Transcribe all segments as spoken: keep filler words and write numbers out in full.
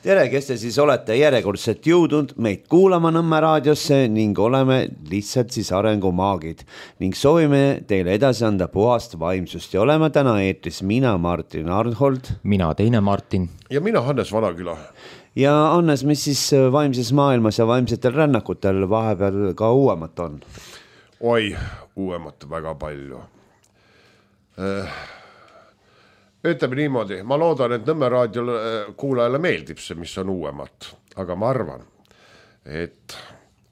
tere, kes te siis olete järjekordselt jõudnud meid kuulama Nõmme raadiosse ning oleme lihtsalt siis arengumaagid ning soovime teile edasi anda puhast vaimsust ja oleme täna eetris mina, Martin Arnhold. Mina teine Martin. Ja mina Hannes Vanaküla. Ja Hannes, mis siis vaimses maailmas ja vaimsetel rännakutel vahepeal ka uuemat on? Oi, uuemat väga palju. Ütleme niimoodi, ma loodan, et Nõmme raadio kuulajale meeldib see, mis on uuemat, aga ma arvan, et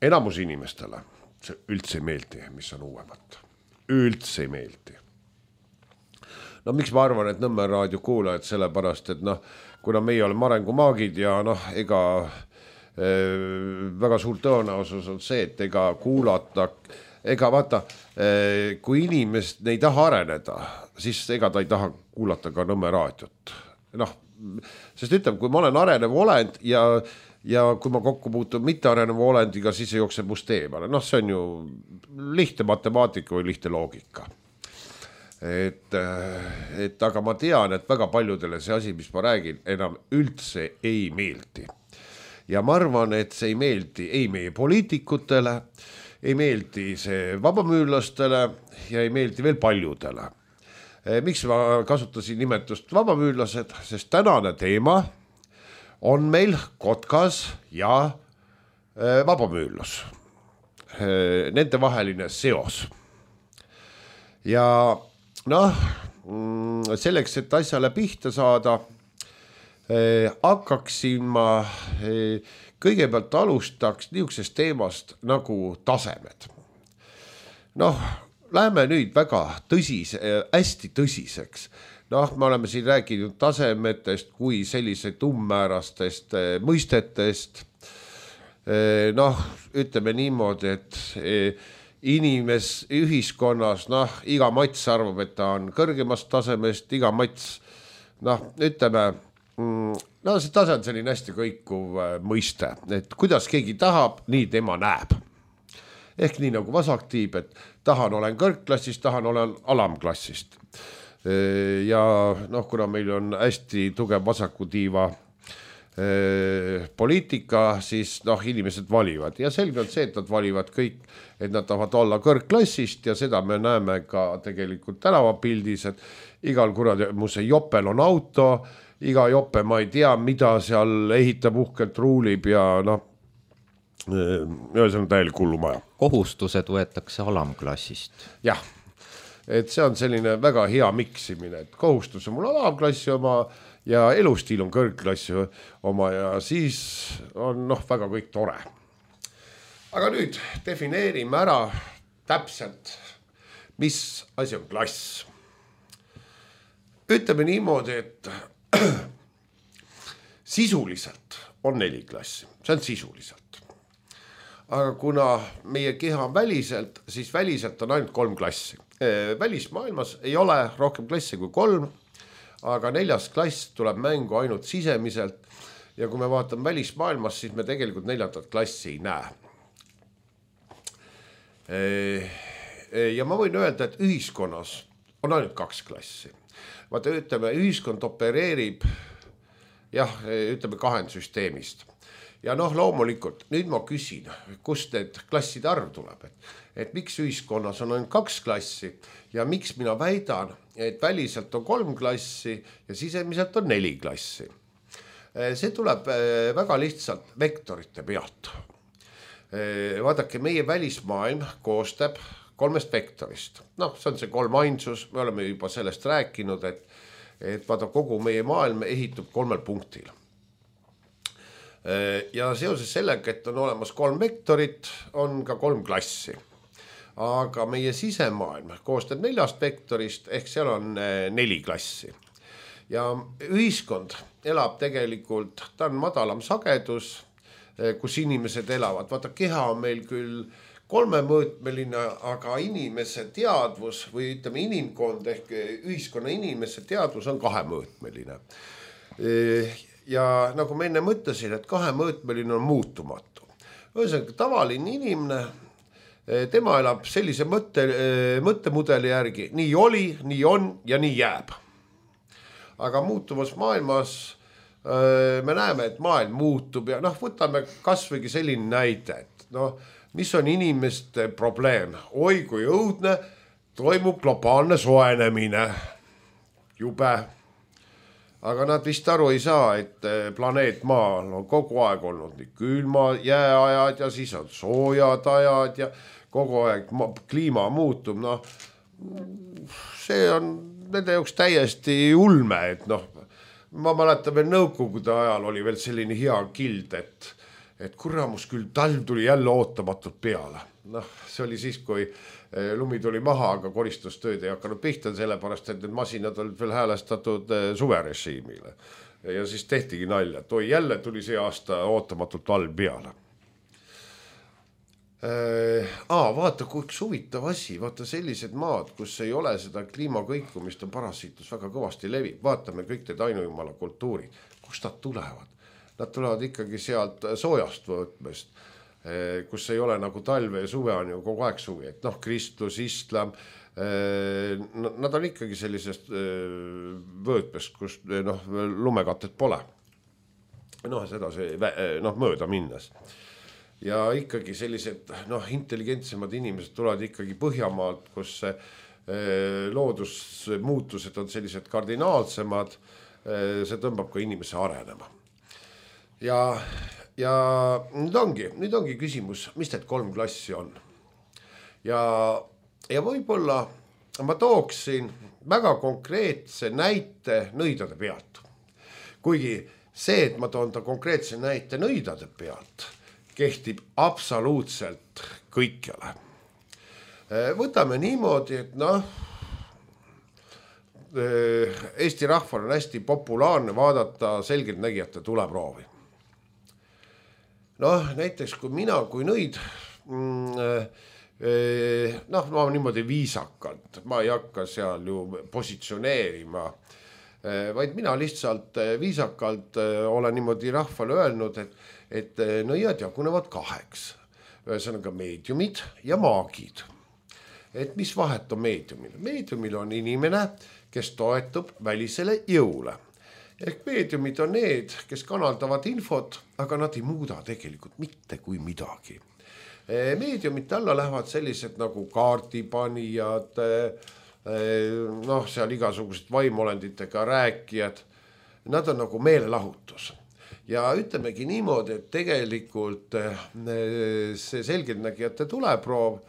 enamus inimestele see üldse ei meeldi, mis on uuemat. Üldse ei meeldi. No miks ma arvan, et Nõmme raadio kuulajad sellepärast, et noh, kuna meie oleme arengumaagid ja noh, ega e, väga suur tõenäosus on see, et ega kuulata, ega vaata, e, kui inimest ei taha areneda, siis ega ta ei taha kuulata ka Nõmme raadiot. Noh, sest ütleme, kui ma olen arenev olend ja, ja kui ma kokku puutun mitte arenev olendiga, siis ei jookse must eemale. Noh, see on ju lihtne matemaatika või lihtne loogika. Et, et aga ma tean, et väga paljudele see asi, mis ma räägin, enam üldse ei meeldi. Ja ma arvan, et see ei meeldi ei meie poliitikutele, ei meeldi see vabamüürlastele ja ei meeldi veel paljudele. Miks ma kasutasin nimetust vabamüürlased, sest tänane teema on meil Kotkas ja vabamüürlus. Nende vaheline seos. Ja noh, selleks, et asjale pihta saada, hakkaksin ma kõigepealt alustaks niisugusest teemast nagu tasemed. Noh, läheme nüüd väga tõsise, hästi tõsiseks. Noh, me oleme siin rääkinud tasemetest kui sellised ummäärastest mõistetest. Noh, ütleme niimoodi, et inimes ühiskonnas, noh, iga mats arvab, et ta on kõrgemast tasemest, iga mats, noh, ütleme, no see tase on selline hästi kõikuv mõiste, et kuidas keegi tahab, nii tema näeb. Ehk nii nagu vasaktiib, et tahan olen kõrgklassist, tahan olen alamklassist. Ja noh, kuna meil on hästi tugev vasakutiiva poliitika, siis noh, inimesed valivad. Ja selge on see, et nad valivad kõik, et nad tahavad olla kõrgklassist ja seda me näeme ka tegelikult tänavapildis, et igal kurademuse jopel on auto, iga jope ma ei tea, mida seal ehitab uhkelt ruulib ja noh, see on täielik hullumaja. Kohustused võetakse alamklassist. Jah, et see on selline väga hea miksimine, et kohustus on mul alamklassi oma ja elustiil on kõrgklassi oma ja siis on noh, väga kõik tore. Aga nüüd defineerime ära täpselt, mis asi on klass. Ütleme niimoodi, et sisuliselt on neli klassi, see on sisuliselt. Aga kuna meie keha on väliselt, siis väliselt on ainult kolm klassi. Välismaailmas ei ole rohkem klassi kui kolm, aga neljas klass tuleb mängu ainult sisemiselt ja kui me vaatame välismaailmas, siis me tegelikult neljandat klassi ei näe. Ja ma võin öelda, et ühiskonnas on ainult kaks klassi. Vaata, ütleme, ühiskond opereerib jah, ütleme kahendsüsteemist. Ja noh, loomulikult, nüüd ma küsin, kust need klasside arv tuleb, et, et miks ühiskonnas on ainult kaks klassi ja miks mina väidan, et väliselt on kolm klassi ja sisemiselt on neli klassi. See tuleb väga lihtsalt vektorite pealt. Vaadake, meie välismaailm koostab kolmest vektorist. Noh, see on see kolm ainsus, me oleme juba sellest rääkinud, et, et vaata, kogu meie maailm ehitub kolmel punktil. Ja seoses sellega, et on olemas kolm vektorit, on ka kolm klassi. Aga meie sisemaailm koostab neljast vektorist, ehk seal on neli klassi. Ja ühiskond elab tegelikult, ta on madalam sagedus, kus inimesed elavad. Vaata, keha on meil küll kolmemõõtmeline, aga inimese teadvus või ütleme inimkond ehk ühiskonna inimese teadvus on kahemõõtmeline. Ja nagu ma enne mõtlesin, et kahemõõtmeline on muutumatu. Ühesõnaga, tavaline inimene, tema elab sellise mõtte, mõttemudeli järgi, nii oli, nii on ja nii jääb. Aga muutuvas maailmas me näeme, et maailm muutub ja noh, võtame kasvõigi selline näide, et noh, mis on inimeste probleem. Oi kui õudne, toimub globaalne soenemine. Jube. Aga nad vist aru ei saa, et planeet Maal on kogu aeg olnud nii külma jääajad ja siis on soojad ajad ja kogu aeg kliima muutub. No, see on nende jaoks täiesti ulme, et noh, ma mäletan veel nõukogude ajal oli veel selline hea kild, et, et kurramus küll talv tuli jälle ootamatult peale. Noh, see oli siis, kui lumi tuli maha, aga koristustööd ei hakanud pihta, sellepärast, et need masinad olid veel häälestatud suverežiimile. Ja siis tehtigi nalja, et oi, jälle tuli see aasta ootamatult talv peale. Aa, vaata, kui üks huvitav asi, vaata sellised maad, kus ei ole seda kliimakõikumist, on parasiitus väga kõvasti levib. Vaatame kõik need ainujumala kultuurid, kust nad tulevad. Nad tulevad ikkagi sealt soojast võtmest, kus ei ole nagu talve ja suve on ju kogu aeg suvi. Et noh, kristlus, islam, nad on ikkagi sellisest võtmest, kus noh, lumekatet pole. Noh, seda see noh, mööda minnes. Ja ikkagi sellised noh, intelligentsemad inimesed tulevad ikkagi Põhjamaalt, kus loodusmuutused on sellised kardinaalsemad, see tõmbab ka inimese arenema. Ja, ja nüüd ongi, nüüd ongi küsimus, mis need kolm klassi on. Ja, ja võib-olla ma tooksin väga konkreetse näite nõidade pealt. Kuigi see, et ma toon ta konkreetse näite nõidade pealt, kehtib absoluutselt kõikjale. Võtame niimoodi, et noh, Eesti rahval on hästi populaarne vaadata selgeltnägijate tuleproovi. Noh, näiteks kui mina, kui nõid, noh, ma niimoodi viisakalt, ma ei hakka seal ju positsioneerima, vaid mina lihtsalt viisakalt olen niimoodi rahvale öelnud, et et nõiad jagunevad kaheks. Ühesõnaga meediumid ja maagid. Et mis vahet on meediumil? Meediumil on inimene, kes toetub välisele jõule. Ehk meediumid on need, kes kanaldavad infot, aga nad ei muuda tegelikult mitte kui midagi. Meediumite alla lähevad sellised nagu kaardipanijad, noh, seal igasugused vaimolenditega rääkijad. Nad on nagu meelelahutus. Ja ütlemegi niimoodi, et tegelikult see selgeltnägijate tuleproov,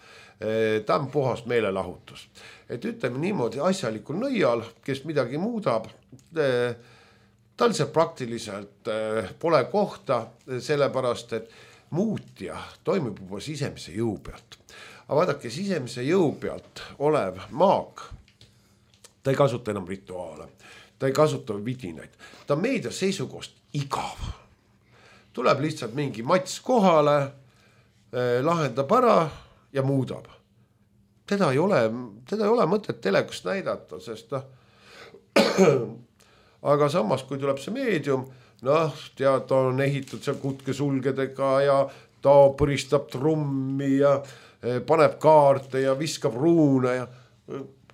ta on puhas meelelahutus. Et ütleme niimoodi asjalikul nõial, kes midagi muudab, tal see praktiliselt pole kohta, sellepärast, et muutja toimub juba sisemise jõu pealt. Aga vaadake, sisemise jõu pealt olev maag, ta ei kasuta enam rituaale, ta ei kasuta vidinaid, ta on meedia seisukohast igav. Tuleb lihtsalt mingi mats kohale, lahendab ära ja muudab. Teda ei ole, teda ei ole mõtet telekast näidata, sest noh, aga samas, kui tuleb see meedium, noh, tead, ta on ehitud seal kutkesulgedega ja ta põristab trummi ja paneb kaarte ja viskab ruune ja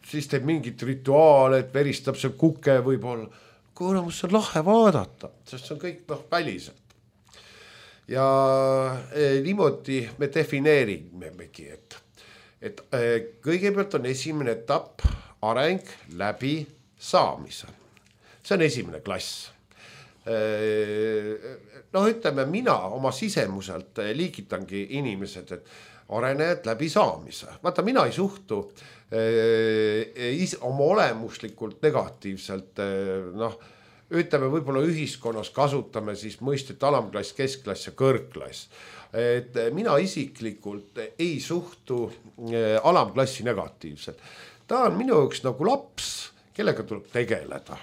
siis teeb mingit rituaale, et veristab see kuke võib-olla. Kuulamus on lahe vaadata, sest see on kõik noh, väliselt. Ja eh, niimoodi me defineerimegi, et, et eh, kõigepealt on esimene etapp areng läbi saamise. See on esimene klass. Eh, noh, ütleme, mina oma sisemuselt liigitangi inimesed, et arenejad läbi saamise. Vaata, mina ei suhtu eh, is, oma olemuslikult negatiivselt, eh, noh, ütleme, võib-olla ühiskonnas kasutame siis mõistet alamklass, keskklass ja kõrgklass. Et mina isiklikult ei suhtu alamklassi negatiivselt. Ta on minu jaoks nagu laps, kellega tuleb tegeleda.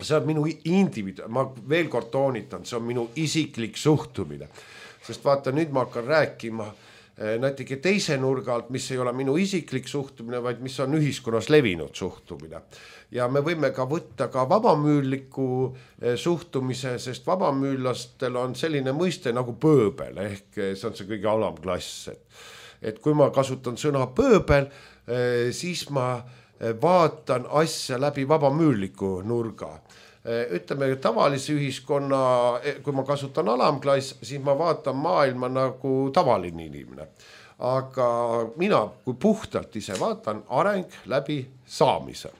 See on minu individu, ma veel kord toonitan, see on minu isiklik suhtumine. Sest vaata, nüüd ma hakkan rääkima näiteks teise nurga alt, mis ei ole minu isiklik suhtumine, vaid mis on ühiskonnas levinud suhtumine. Ja me võime ka võtta ka vabamüürliku suhtumise, sest vabamüürlastel on selline mõiste nagu pööbel, ehk see on see kõige alamklass. Et kui ma kasutan sõna pööbel, siis ma vaatan asja läbi vabamüürliku nurga. ütleme tavalise ühiskonna, kui ma kasutan alamklass, siis ma vaatan maailma nagu tavaline inimene. Aga mina, kui puhtalt ise vaatan, areng läbi saamise.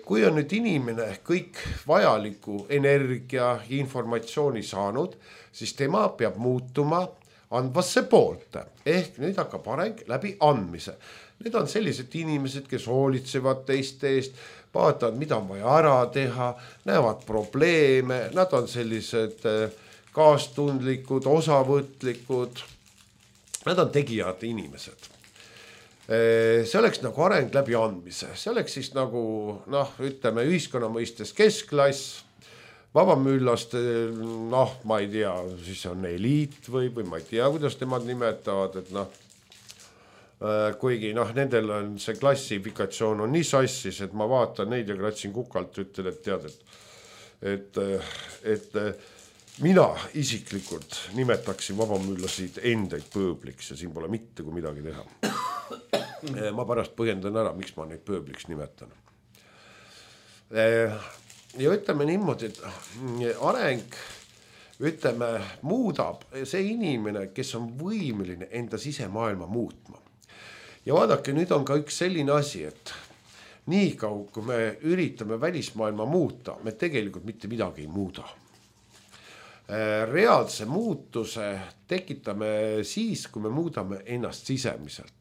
Kui on nüüd inimene kõik vajaliku energia, informatsiooni saanud, siis tema peab muutuma andvasse poolte. Ehk nüüd hakkab areng läbi andmise. Need on sellised inimesed, kes hoolitsevad teiste eest, vaatavad, mida on vaja ära teha, näevad probleeme, nad on sellised kaastundlikud, osavõtlikud, nad on tegijad inimesed. See oleks nagu areng läbi andmise, see oleks siis nagu, noh, ütleme ühiskonna mõistes keskklass, vabamüllaste, noh, ma ei tea, siis on eliit või, või ma ei tea, kuidas nemad nimetavad, et noh, kuigi noh, nendel on see klassifikatsioon on nii sassis, et ma vaatan neid ja kratsin kukalt, ütlen, et tead, et, et, et mina isiklikult nimetaksin vabamüllasid endaid pööbliks ja siin pole mitte kui midagi teha. Ma pärast põhjendan ära, miks ma neid pööbliks nimetan. Ja ütleme niimoodi, et areng, ütleme, muudab see inimene, kes on võimeline enda sisemaailma muutma. Ja vaadake, nüüd on ka üks selline asi, et nii kaua, kui me üritame välismaailma muuta, me tegelikult mitte midagi ei muuda. Reaalse muutuse tekitame siis, kui me muudame ennast sisemiselt.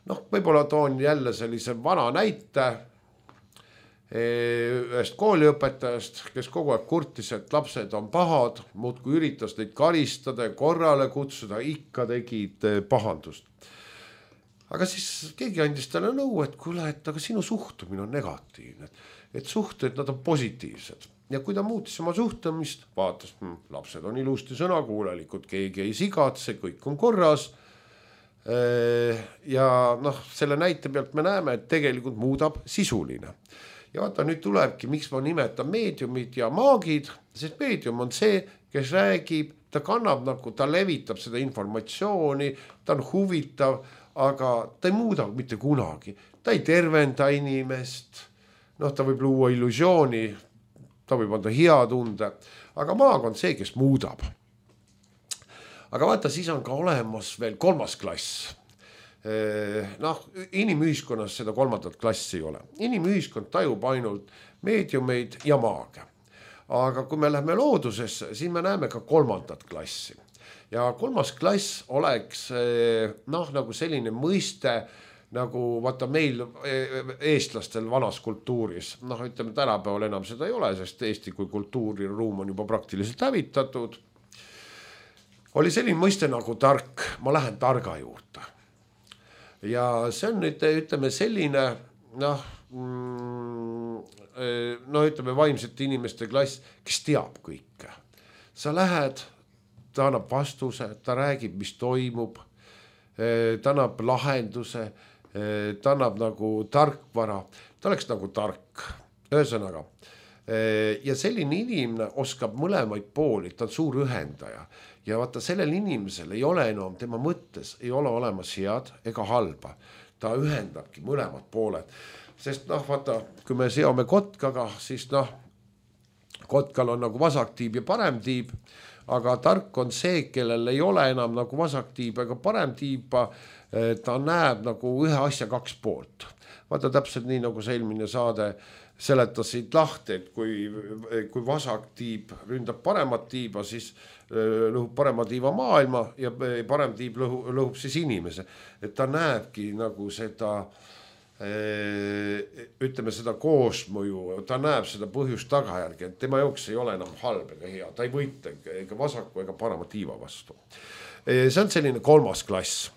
Noh, võib-olla toon jälle sellise vana näite ühest kooliõpetajast, kes kogu aeg kurtis, et lapsed on pahad, muud kui üritas neid karistada ja korrale kutsuda, ikka tegid pahandust. Aga siis keegi andis talle nõu, et kuule, et aga sinu suhtumine on negatiivne, et suhted, nad on positiivsed. Ja kui ta muutis oma suhtumist, vaatas, lapsed on ilusti sõnakuulelikud, keegi ei sigatse, kõik on korras. Ja noh, selle näite pealt me näeme, et tegelikult muudab sisuline. Ja vaata, nüüd tulebki, miks ma nimetan meediumid ja maagid, sest meedium on see, kes räägib, ta kannab nagu, ta levitab seda informatsiooni, ta on huvitav, aga ta ei muuda mitte kunagi. Ta ei tervenda inimest, noh, ta võib luua illusiooni, ta võib anda hea tunde, aga maag on see, kes muudab. Aga vaata, siis on ka olemas veel kolmas klass. Noh, inimühiskonnas seda kolmandat klassi ei ole. Inimühiskond tajub ainult meediumeid ja maage. Aga kui me läheme loodusesse, siis me näeme ka kolmandat klassi. Ja kolmas klass oleks noh, nagu selline mõiste, nagu vaata meil eestlastel vanas kultuuris. Noh, ütleme, tänapäeval enam seda ei ole, sest Eesti kui kultuuriruum on juba praktiliselt hävitatud. Oli selline mõiste nagu tark, ma lähen targa juurde. Ja see on nüüd, ütleme, selline, noh, no ütleme, vaimsete inimeste klass, kes teab kõike. Sa lähed, ta annab vastuse, ta räägib, mis toimub, ta annab lahenduse, ta annab nagu tarkvara, ta oleks nagu tark, ühesõnaga. Ja selline inimene oskab mõlemaid pooli, ta on suur ühendaja. Ja vaata, sellel inimesel ei ole enam, tema mõttes ei ole olemas head ega halba. Ta ühendabki mõlemad pooled. Sest noh, vaata, kui me seome kotkaga, siis noh, kotkal on nagu vasaktiib ja paremtiib, aga tark on see, kellel ei ole enam nagu vasaktiib ega paremtiiba, ta näeb nagu ühe asja kaks poolt. Vaata täpselt nii, nagu see eelmine saade seletasid lahti, et kui, kui vasaktiib ründab paremat tiiba, siis lõhub parema tiiva maailma ja parem tiib lõhub, lõhub siis inimese. Et ta näebki nagu seda, ütleme seda koosmõju, ta näeb seda põhjust tagajärgi, et tema jooks ei ole enam halb ega hea, ta ei võita ega vasaku ega parema tiiva vastu. See on selline kolmas klass.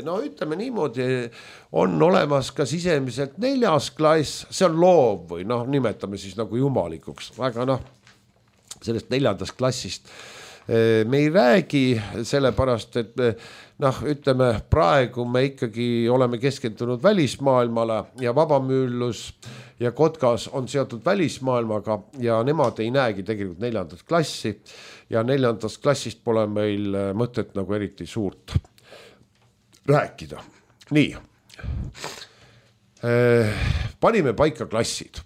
No ütleme niimoodi, on olemas ka sisemiselt neljas klass, see on loov või noh, nimetame siis nagu jumalikuks, aga noh, sellest neljandast klassist me ei räägi, sellepärast, et noh, ütleme, praegu me ikkagi oleme keskendunud välismaailmale ja vabamüllus ja kotkas on seotud välismaailmaga ja nemad ei näegi tegelikult neljandat klassi ja neljandast klassist pole meil mõtet nagu eriti suurt rääkida. Nii, panime paika klassid.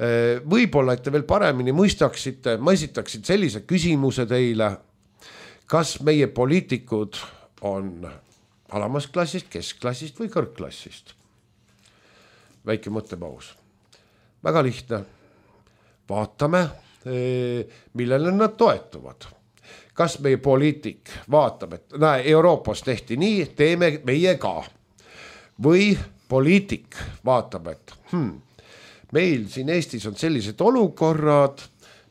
Võib-olla, et te veel paremini mõistaksite, ma esitaksin sellise küsimuse teile, kas meie poliitikud on alamast klassist, keskklassist või kõrgklassist? Väike mõttepaus. Väga lihtne. Vaatame, millele nad toetuvad. Kas meie poliitik vaatab, et näe, Euroopas tehti nii, teeme meie ka. Või poliitik vaatab, et hmm, meil siin Eestis on sellised olukorrad,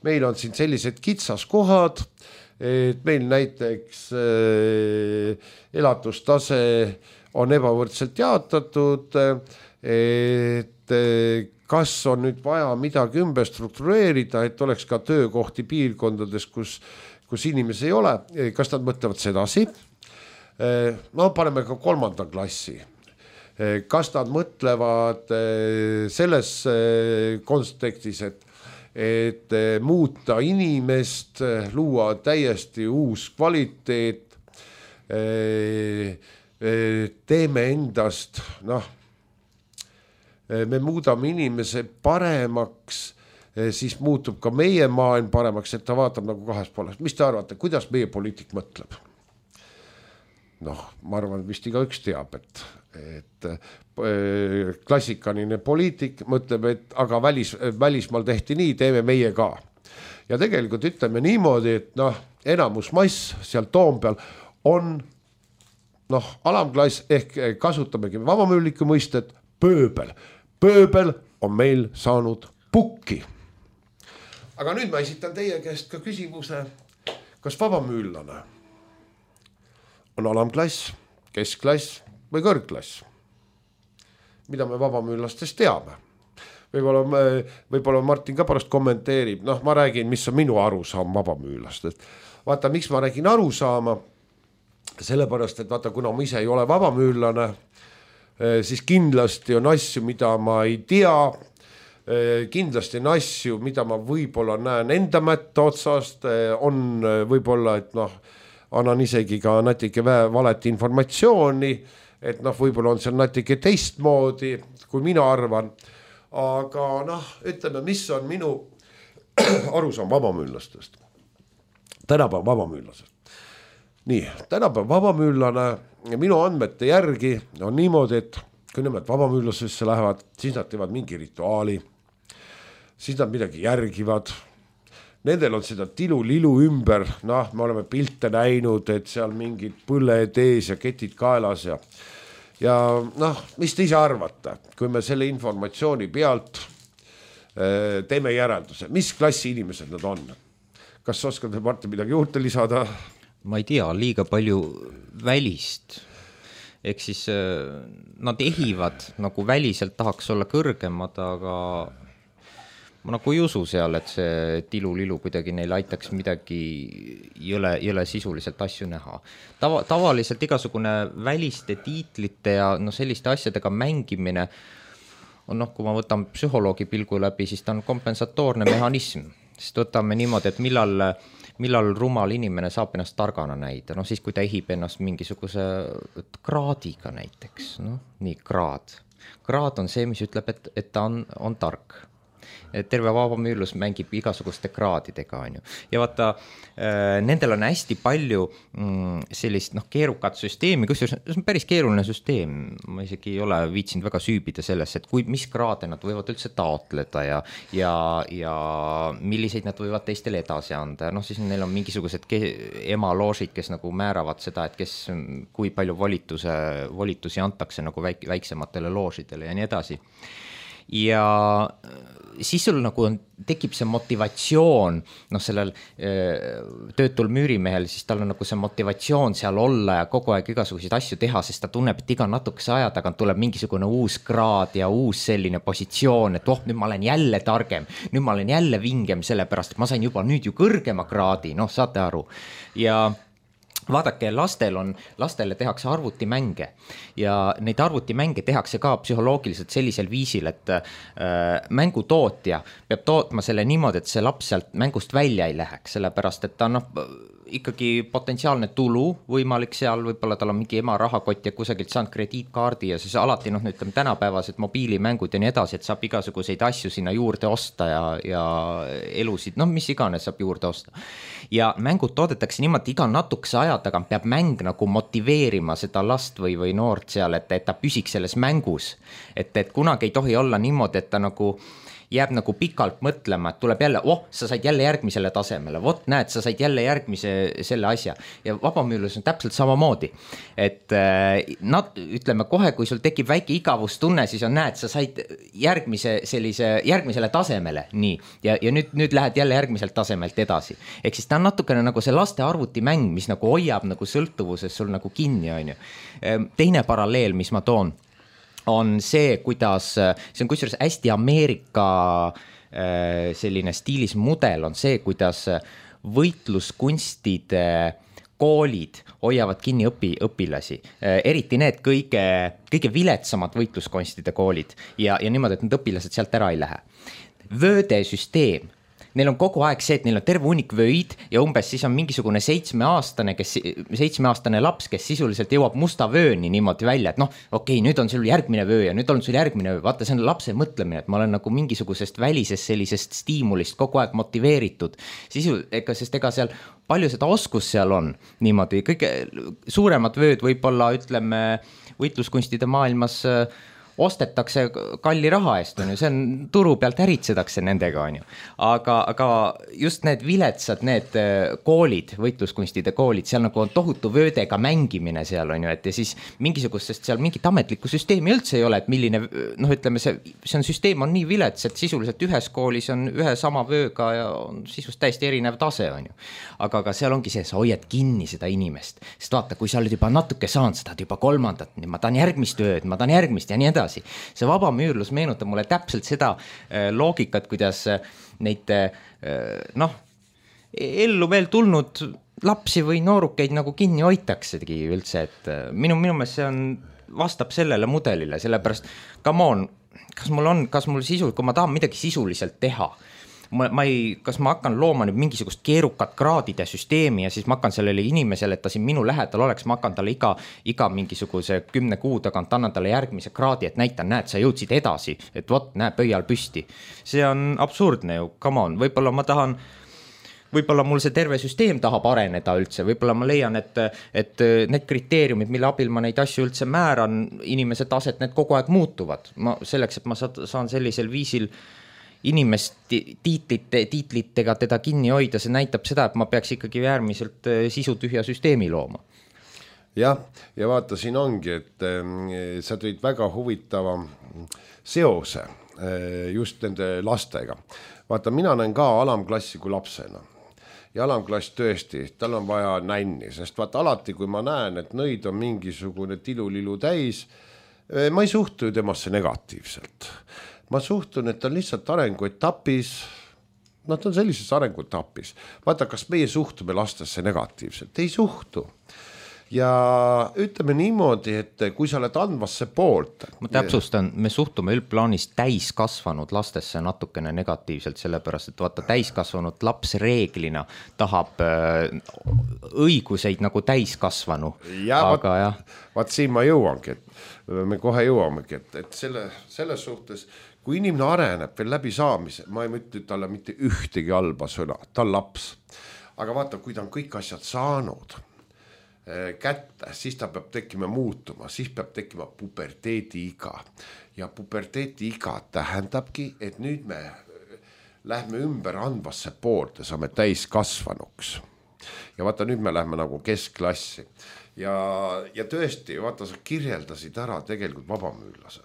meil on siin sellised kitsaskohad, et meil näiteks äh, elatustase on ebavõrdselt jaotatud, et äh, kas on nüüd vaja midagi ümber struktureerida, et oleks ka töökohti piirkondades, kus, kus inimesi ei ole, kas nad mõtlevad sedasi? Äh, no paneme ka kolmanda klassi. Kas nad mõtlevad selles kontekstis, et, et muuta inimest, luua täiesti uus kvaliteet, teeme endast, noh, me muudame inimese paremaks, siis muutub ka meie maailm paremaks, et ta vaatab nagu kahes poolest. Mis te arvate, kuidas meie poliitik mõtleb? Noh, ma arvan, vist iga üks teab, et, et klassikaline poliitik mõtleb, et aga välis, välismaal tehti nii, teeme meie ka. Ja tegelikult ütleme niimoodi, et noh, enamus mass seal Toompeal on noh, alamklass ehk kasutamegi vabamüülliku mõistet pööbel. Pööbel on meil saanud pukki. Aga nüüd ma esitan teie käest ka küsimuse, kas vabamüüllane on alamklass, keskklass või kõrgklass? Mida me vabamüüllastest teame? Võib-olla, võib-olla Martin ka pärast kommenteerib, noh ma räägin, mis on minu arusaam vabamüüllastest. Vaata, miks ma räägin arusaama, sellepärast, et vaata, kuna ma ise ei ole vabamüüllane, siis kindlasti on asju, mida ma ei tea, kindlasti on asju, mida ma võib-olla näen enda mätta otsast, on võib-olla, et noh, annan isegi ka natuke valet informatsiooni, et noh, võib-olla on see natuke teistmoodi, kui mina arvan, aga noh, ütleme, mis on minu arusaam vabamüüllastest. Tänapäev vabamüüllasest. Nii, tänapäev vabamüüllane ja minu andmete järgi on niimoodi, et kui nemad vabamüüllasesse lähevad, siis nad teevad mingi rituaali, siis nad midagi järgivad. Nendel on seda tilu-lilu ümber, noh, me oleme pilte näinud, et seal mingid põled ees ja ketid kaelas ja, ja noh, mis te ise arvate, kui me selle informatsiooni pealt äh, teeme järelduse, mis klassi inimesed nad on? Kas oskad Martin midagi juurde lisada? Ma ei tea, liiga palju välist. Ehk siis äh, nad ehivad, nagu väliselt tahaks olla kõrgemad, aga ma nagu ei usu seal, et see tilu-lilu kuidagi neil aitaks midagi jõle, jõle sisuliselt asju näha. Tava, tavaliselt igasugune väliste tiitlite ja no, selliste asjadega mängimine on noh, kui ma võtan psühholoogi pilgu läbi, siis ta on kompensatoorne mehhanism. Sest võtame niimoodi, et millal, millal rumal inimene saab ennast targana näida. No siis, kui ta ehib ennast mingisuguse kraadiga näiteks. No, nii, kraad. Kraad on see, mis ütleb, et, et ta on, on tark. Terve vabamüüllus mängib igasuguste kraadidega, on ju. Ja vaata, nendel on hästi palju sellist noh, keerukat süsteemi, kus see on päris keeruline süsteem. Ma isegi ei ole viitsinud väga süübida selles, et kui, mis kraade nad võivad üldse taotleda ja, ja, ja milliseid nad võivad teistele edasi anda. Noh, siis neil on mingisugused emaloožid, kes nagu määravad seda, et kes, kui palju volituse, volitusi antakse nagu väik, väiksematele loožidele ja nii edasi. Ja siis sul nagu on, tekib see motivatsioon, noh sellel töötul müürimehel, siis tal on nagu see motivatsioon seal olla ja kogu aeg igasuguseid asju teha, sest ta tunneb, et iga natukese aja tagant tuleb mingisugune uus kraad ja uus selline positsioon, et oh, nüüd ma olen jälle targem, nüüd ma olen jälle vingem, sellepärast, et ma sain juba nüüd ju kõrgema kraadi, noh saate aru. Ja vaadake, lastel on, lastele tehakse arvutimänge ja neid arvutimänge tehakse ka psühholoogiliselt sellisel viisil, et äh, mängutootja peab tootma selle niimoodi, et see laps sealt mängust välja ei läheks, sellepärast, et ta noh, ikkagi potentsiaalne tulu võimalik seal, võib-olla tal on mingi ema rahakott ja kusagilt saanud krediitkaardi ja siis alati noh, ütleme tänapäevased mobiilimängud ja nii edasi, et saab igasuguseid asju sinna juurde osta ja, ja elusid, noh mis iganes saab juurde osta. Ja mängud toodetakse niimoodi, iga natukese aja tagant peab mäng nagu motiveerima seda last või, või noort seal, et, et ta püsiks selles mängus, et, et kunagi ei tohi olla niimoodi, et ta nagu jääb nagu pikalt mõtlema, et tuleb jälle, oh, sa said jälle järgmisele tasemele, vot näed, sa said jälle järgmise selle asja ja vabamüürlus on täpselt samamoodi, et nad, ütleme kohe, kui sul tekib väike igavustunne, siis on näed, sa said järgmise sellise, järgmisele tasemele, nii, ja, ja nüüd, nüüd lähed jälle järgmiselt tasemelt edasi, ehk siis ta on natukene nagu see laste arvutimäng, mis nagu hoiab nagu sõltuvuses sul nagu kinni, on ju. Teine paralleel, mis ma toon, on see, kuidas, see on kusjuures hästi Ameerika selline stiilis mudel on see, kuidas võitluskunstide koolid hoiavad kinni õpi, õpilasi, eriti need kõige, kõige viletsamad võitluskunstide koolid ja, ja niimoodi, et need õpilased sealt ära ei lähe. Vöödesüsteem. Neil on kogu aeg see, et neil on terve hunnik vöid ja umbes siis on mingisugune seitsmeaastane, kes, seitsmeaastane laps, kes sisuliselt jõuab musta vööni niimoodi välja, et noh, okei, nüüd on sul järgmine vöö ja nüüd on sul järgmine vöö. Vaata, see on lapse mõtlemine, et ma olen nagu mingisugusest välisest sellisest stiimulist kogu aeg motiveeritud. Sisu, ega, sest ega seal palju seda oskus seal on niimoodi. Kõige suuremad vööd võib-olla, ütleme, võitluskunstide maailmas ostetakse kalli raha eest, on ju, see on turu pealt äritsetakse nendega, on ju. Aga, aga just need viletsad, need koolid, võitluskunstide koolid, seal nagu on tohutu vöödega mängimine seal, on ju, et ja siis mingisugustest seal mingit ametlikku süsteemi üldse ei ole, et milline, noh, ütleme, see, see on süsteem on nii vilets, et sisuliselt ühes koolis on ühe sama vööga ja on sisust täiesti erinev tase, on ju. Aga, aga seal ongi see, sa hoiad kinni seda inimest, sest vaata, kui sa oled juba natuke saanud, sa tahad juba kolmandat, ma tahan järgmist vööd, ma tahan järgmist ja nii edasi. See vabamüürlus meenutab mulle täpselt seda loogikat, kuidas neid noh, ellu veel tulnud lapsi või noorukeid nagu kinni hoitaksegi üldse, et minu, minu meelest see on, vastab sellele mudelile, sellepärast, come on, kas mul on, kas mul sisu, kui ma tahan midagi sisuliselt teha, Ma, ma ei, kas ma hakkan looma nüüd mingisugust keerukat kraadide süsteemi ja siis ma hakkan sellele inimesele, et ta siin minu lähedal oleks, ma hakkan talle iga, iga mingisuguse kümne kuu tagant annan talle järgmise kraadi, et näitan, näed, sa jõudsid edasi, et vot, näe, pöial püsti. See on absurdne ju, come on, võib-olla ma tahan, võib-olla mul see terve süsteem tahab areneda üldse, võib-olla ma leian, et, et need kriteeriumid, mille abil ma neid asju üldse määran, inimese taset, need kogu aeg muutuvad. Ma, selleks, et ma saan sellisel viisil inimest tiitlite, tiitlitega teda kinni hoida, see näitab seda, et ma peaks ikkagi äärmiselt sisutühja süsteemi looma. Jah, ja vaata, siin ongi, et äh, sa tõid väga huvitava seose äh, just nende lastega. Vaata, mina näen ka alamklassi kui lapsena. Ja alamklass tõesti, tal on vaja nänni, sest vaata alati, kui ma näen, et nõid on mingisugune tilulilu täis, äh, ma ei suhtu ju temasse negatiivselt. Ma suhtun, et on lihtsalt arenguetapis, nad on sellises arenguetapis. Vaata, kas meie suhtume lastesse negatiivselt? Ei suhtu. Ja ütleme niimoodi, et kui sa oled andvasse poolt. Ma täpsustan, me suhtume üldplaanis täiskasvanud lastesse natukene negatiivselt, sellepärast, et vaata täiskasvanud laps reeglina tahab õiguseid nagu täiskasvanu. Ja aga vaat, jah. Vaat siin ma jõuangi, et me kohe jõuamegi, et, et selle, selles suhtes, kui inimene areneb veel läbi saamise, ma ei mõtle talle mitte ühtegi halba sõna, ta on laps. Aga vaata, kui ta on kõik asjad saanud kätte, siis ta peab tekkima muutuma, siis peab tekkima puberteedi iga. Ja puberteedi iga tähendabki, et nüüd me lähme ümber andvasse poolt ja saame täiskasvanuks. Ja vaata, nüüd me lähme nagu keskklassi. Ja, ja tõesti, vaata, sa kirjeldasid ära tegelikult vabamüürlase.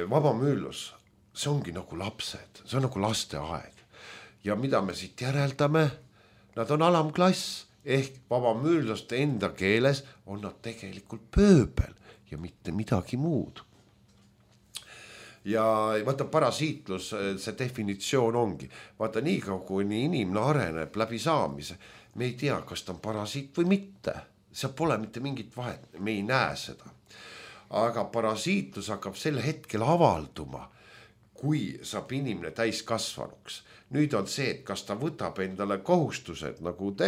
Vabamüürlus, see ongi nagu lapsed, see on nagu lasteaed. Ja mida me siit järeldame? Nad on alamklass. Ehk vabamüürlaste enda keeles on nad tegelikult pööbel ja mitte midagi muud. Ja vaata, parasiitlus, see definitsioon ongi. Vaata, nii kaua, kui inimene areneb läbi saamise, me ei tea, kas ta on parasiit või mitte. See pole mitte mingit vahet, me ei näe seda. Aga parasiitlus hakkab sel hetkel avalduma, kui saab inimene täiskasvanuks. Nüüd on see, et kas ta võtab endale kohustused, nagu te,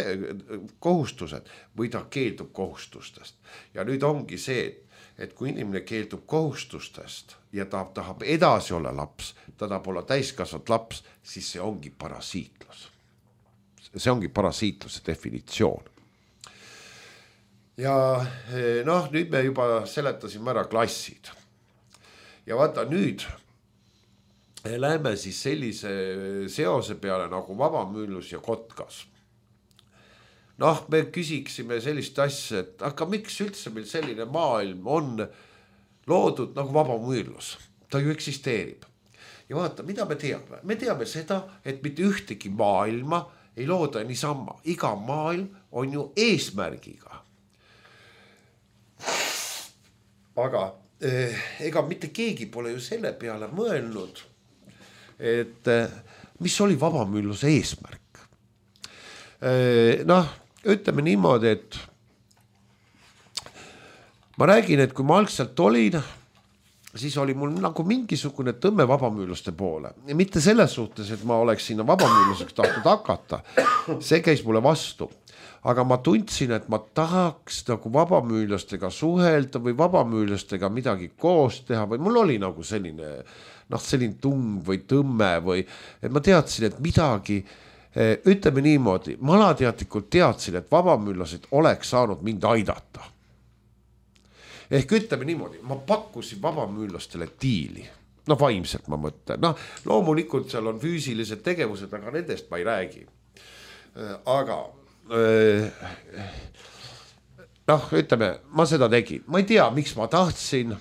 kohustused või ta keeldub kohustustest. Ja nüüd ongi see, et, et kui inimene keeldub kohustustest ja ta tahab edasi olla laps, ta tahab olla täiskasvanud laps, siis see ongi parasiitlus. See ongi parasiitluse definitsioon. Ja noh, nüüd me juba seletasime ära klassid. Ja vaata nüüd läheme siis sellise seose peale nagu vabamüülus ja kotkas. Noh, me küsiksime sellist asja, et aga miks üldse meil selline maailm on loodud nagu vabamüülus? Ta ju eksisteerib. Ja vaata, mida me teame? Me teame seda, et mitte ühtegi maailma ei looda niisama. Iga maailm on ju eesmärgiga. Aga eh, ega mitte keegi pole ju selle peale mõelnud, et mis oli vabamüüluse eesmärk. Noh, ütleme niimoodi, et ma räägin, et kui ma algselt olin, siis oli mul nagu mingisugune tõmme vabamüülluste poole. Ja mitte selles suhtes, et ma oleks sinna vabamüülluseks tahtnud hakata. See käis mulle vastu. Aga ma tundsin, et ma tahaks nagu vabamüüllastega suhelda või vabamüüllastega midagi koos teha või mul oli nagu selline, noh, selline tung või tõmme või, et ma teadsin, et midagi, ütleme niimoodi, ma alateadlikult teadsin, et vabamüüllased oleks saanud mind aidata. Ehk ütleme niimoodi, ma pakkusin vabamüüllastele diili. No vaimselt ma mõtlen. No loomulikult seal on füüsilised tegevused, aga nendest ma ei räägi. Aga noh, ütleme, ma seda tegin. Ma ei tea, miks ma tahtsin,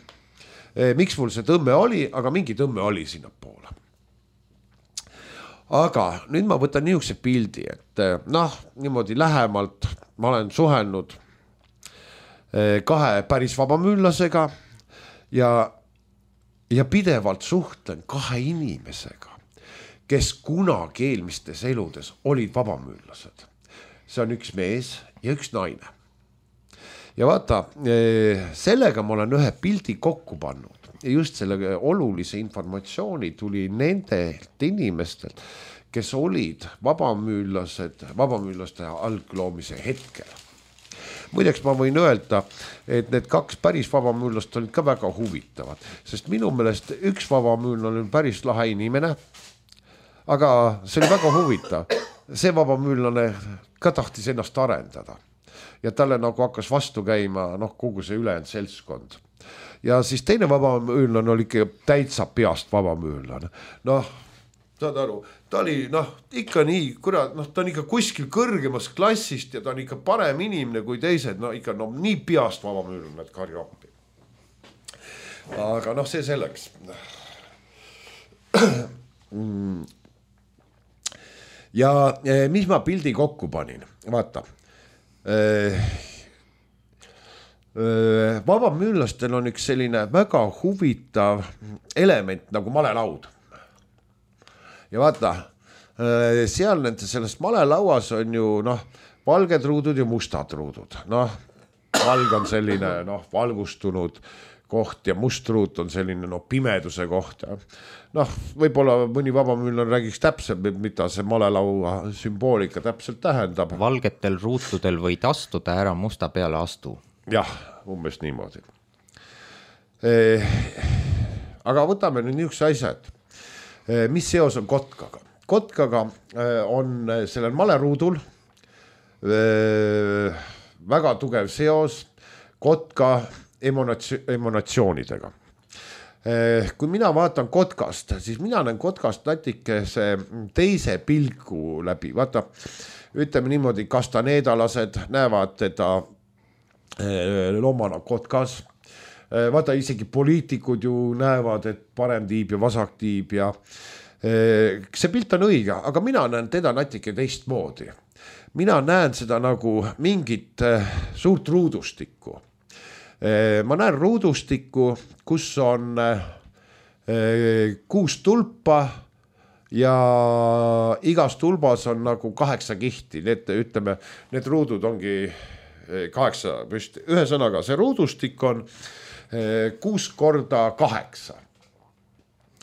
miks mul see tõmme oli, aga mingi tõmme oli sinna poole. Aga nüüd ma võtan niisuguse pildi, et noh, niimoodi lähemalt ma olen suhelnud kahe päris vabamüüllasega ja, ja pidevalt suhtlen kahe inimesega, kes kunagi eelmistes eludes olid vabamüüllased. See on üks mees ja üks naine. Ja vaata, sellega ma olen ühe pildi kokku pannud. Ja just selle olulise informatsiooni tuli nendelt inimestelt, kes olid vabamüüllased, vabamüüllaste algloomise hetkel. Muideks ma võin öelda, et need kaks päris vabamüüllast olid ka väga huvitavad, sest minu meelest üks vabamüüllane oli päris lahe inimene, aga see oli väga huvitav. See vabamüüllane ka tahtis ennast arendada ja talle nagu hakkas vastu käima, noh, kogu see ülejäänud seltskond. Ja siis teine vabamüüllane oli ikka täitsa peast vabamüüllane. Noh, saad aru, ta oli, noh, ikka nii, kurat, noh, ta on ikka kuskil kõrgemas klassist ja ta on ikka parem inimene kui teised, no ikka, no nii peast vabamüüllane, et karju appi. Aga noh, see selleks. Ja mis ma pildi kokku panin? Vaata, vabamüüllastel on üks selline väga huvitav element nagu malelaud. Ja vaata, seal nende sellest malelauas on ju, noh, valged ruudud ja mustad ruudud. Noh, valg on selline, noh, valgustunud koht ja must ruut on selline, noh, pimeduse koht. Noh, võib-olla mõni vabamüülane räägiks täpselt, mida see malelaua sümboolika täpselt tähendab. Valgetel ruutudel võid astuda, ära musta peale astu. Jah, umbes niimoodi. Eh, aga võtame nüüd niisuguse asjad. Eh, mis seos on kotkaga? Kotkaga eh, on sellel maleruudul eh, väga tugev seos kotka emonatsioonidega. Kui mina vaatan kotkast, siis mina näen kotkast natikese teise pilgu läbi. Vaata, ütleme niimoodi, kastaneedalased näevad teda loomana kotkas. Vaata, isegi poliitikud ju näevad, et parem tiib ja vasak tiib ja see pilt on õige, aga mina näen teda natike teistmoodi. Mina näen seda nagu mingit suurt ruudustikku. Ma näen ruudustikku, kus on kuus tulpa ja igas tulbas on nagu kaheksa kihti. Need, ütleme, need ruudud ongi kaheksa püsti. Ühesõnaga, see ruudustik on kuus korda kaheksa.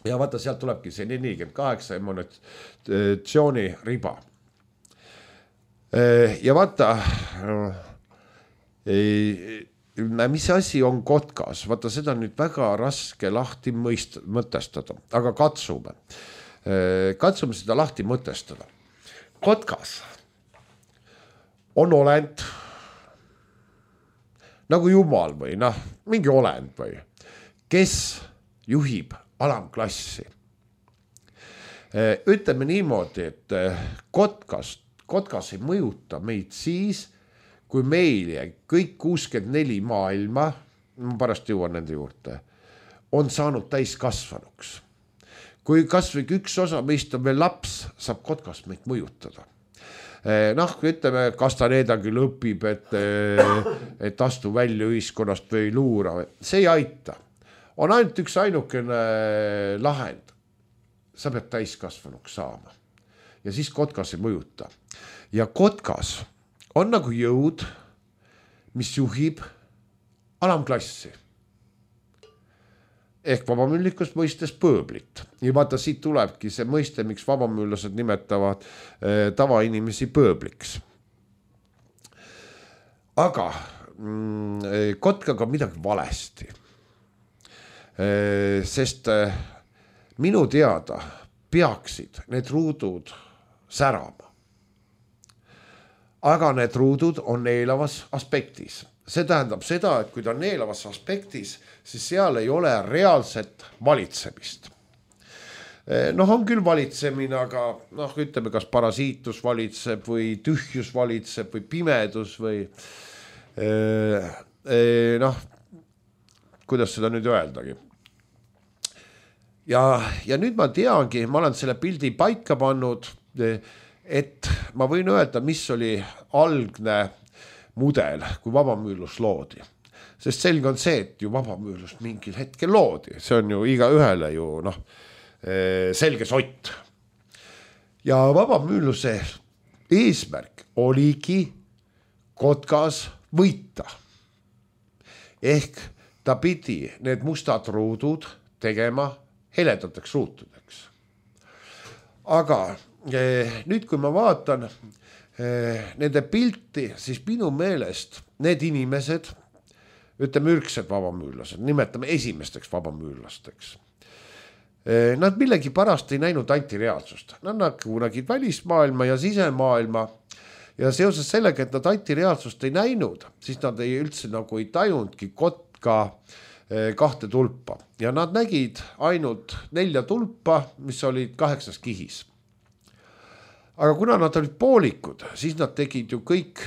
ja vaata, sealt tulebki see nelikümmend kaheksa emotsiooni riba. Ja vaata, mis asi on kotkas, vaata seda nüüd väga raske lahti mõist, mõtestada, aga katsume. Katsume seda lahti mõtestada. Kotkas on olend nagu jumal või noh, mingi olend või, kes juhib alamklassi. Ütleme niimoodi, et kotkas, kotkas ei mõjuta meid siis, kui meil kõik kuuskümmend neli maailma, ma pärast jõuan nende juurde, on saanud täiskasvanuks. Kui kas või üks osa meist on veel laps, saab kotkas meid mõjutada. Noh, ütleme, Castanedagi lõpib, et, et astu välja ühiskonnast või luura. See ei aita. On ainult üks ainukene lahend. Sa pead täiskasvanuks saama. Ja siis kotkas ei mõjuta. Ja kotkas on nagu jõud, mis juhib alamklassi. Ehk vabamüüllikust mõistes pööblit. Ja vaata, siit tulebki see mõiste, miks vabamüüllased nimetavad eh, tavainimesi pööbliks. Aga mm, kotkaga on midagi valesti. Eh, sest eh, minu teada peaksid need ruudud särama. Aga need ruudud on neelavas aspektis. See tähendab seda, et kui ta on neelavas aspektis, siis seal ei ole reaalset valitsemist. Noh, on küll valitsemine, aga noh, ütleme, kas parasiitus valitseb või tühjus valitseb või pimedus või noh, kuidas seda nüüd öeldagi. Ja, ja nüüd ma teangi, ma olen selle pildi paika pannud, et ma võin öelda, mis oli algne mudel, kui vabamüülus loodi. Sest selge on see, et ju vabamüülust mingil hetkel loodi. See on ju iga ühele ju noh, selge sott. Ja vabamüüluse eesmärk oligi kotkas võita. Ehk ta pidi need mustad ruudud tegema heledateks ruutudeks. Aga nüüd, kui ma vaatan nende pilti, siis minu meelest need inimesed, ütleme ürgsed vabamüürlased, nimetame esimesteks vabamüürlasteks. Nad millegi pärast ei näinud antireaalsust. Nad nägid välismaailma ja sisemaailma ja seoses sellega, et nad antireaalsust ei näinud, siis nad ei üldse nagu ei tajundki kotka kahte tulpa. Ja nad nägid ainult nelja tulpa, mis olid kaheksas kihis. Aga kuna nad olid poolikud, siis nad tegid ju kõik,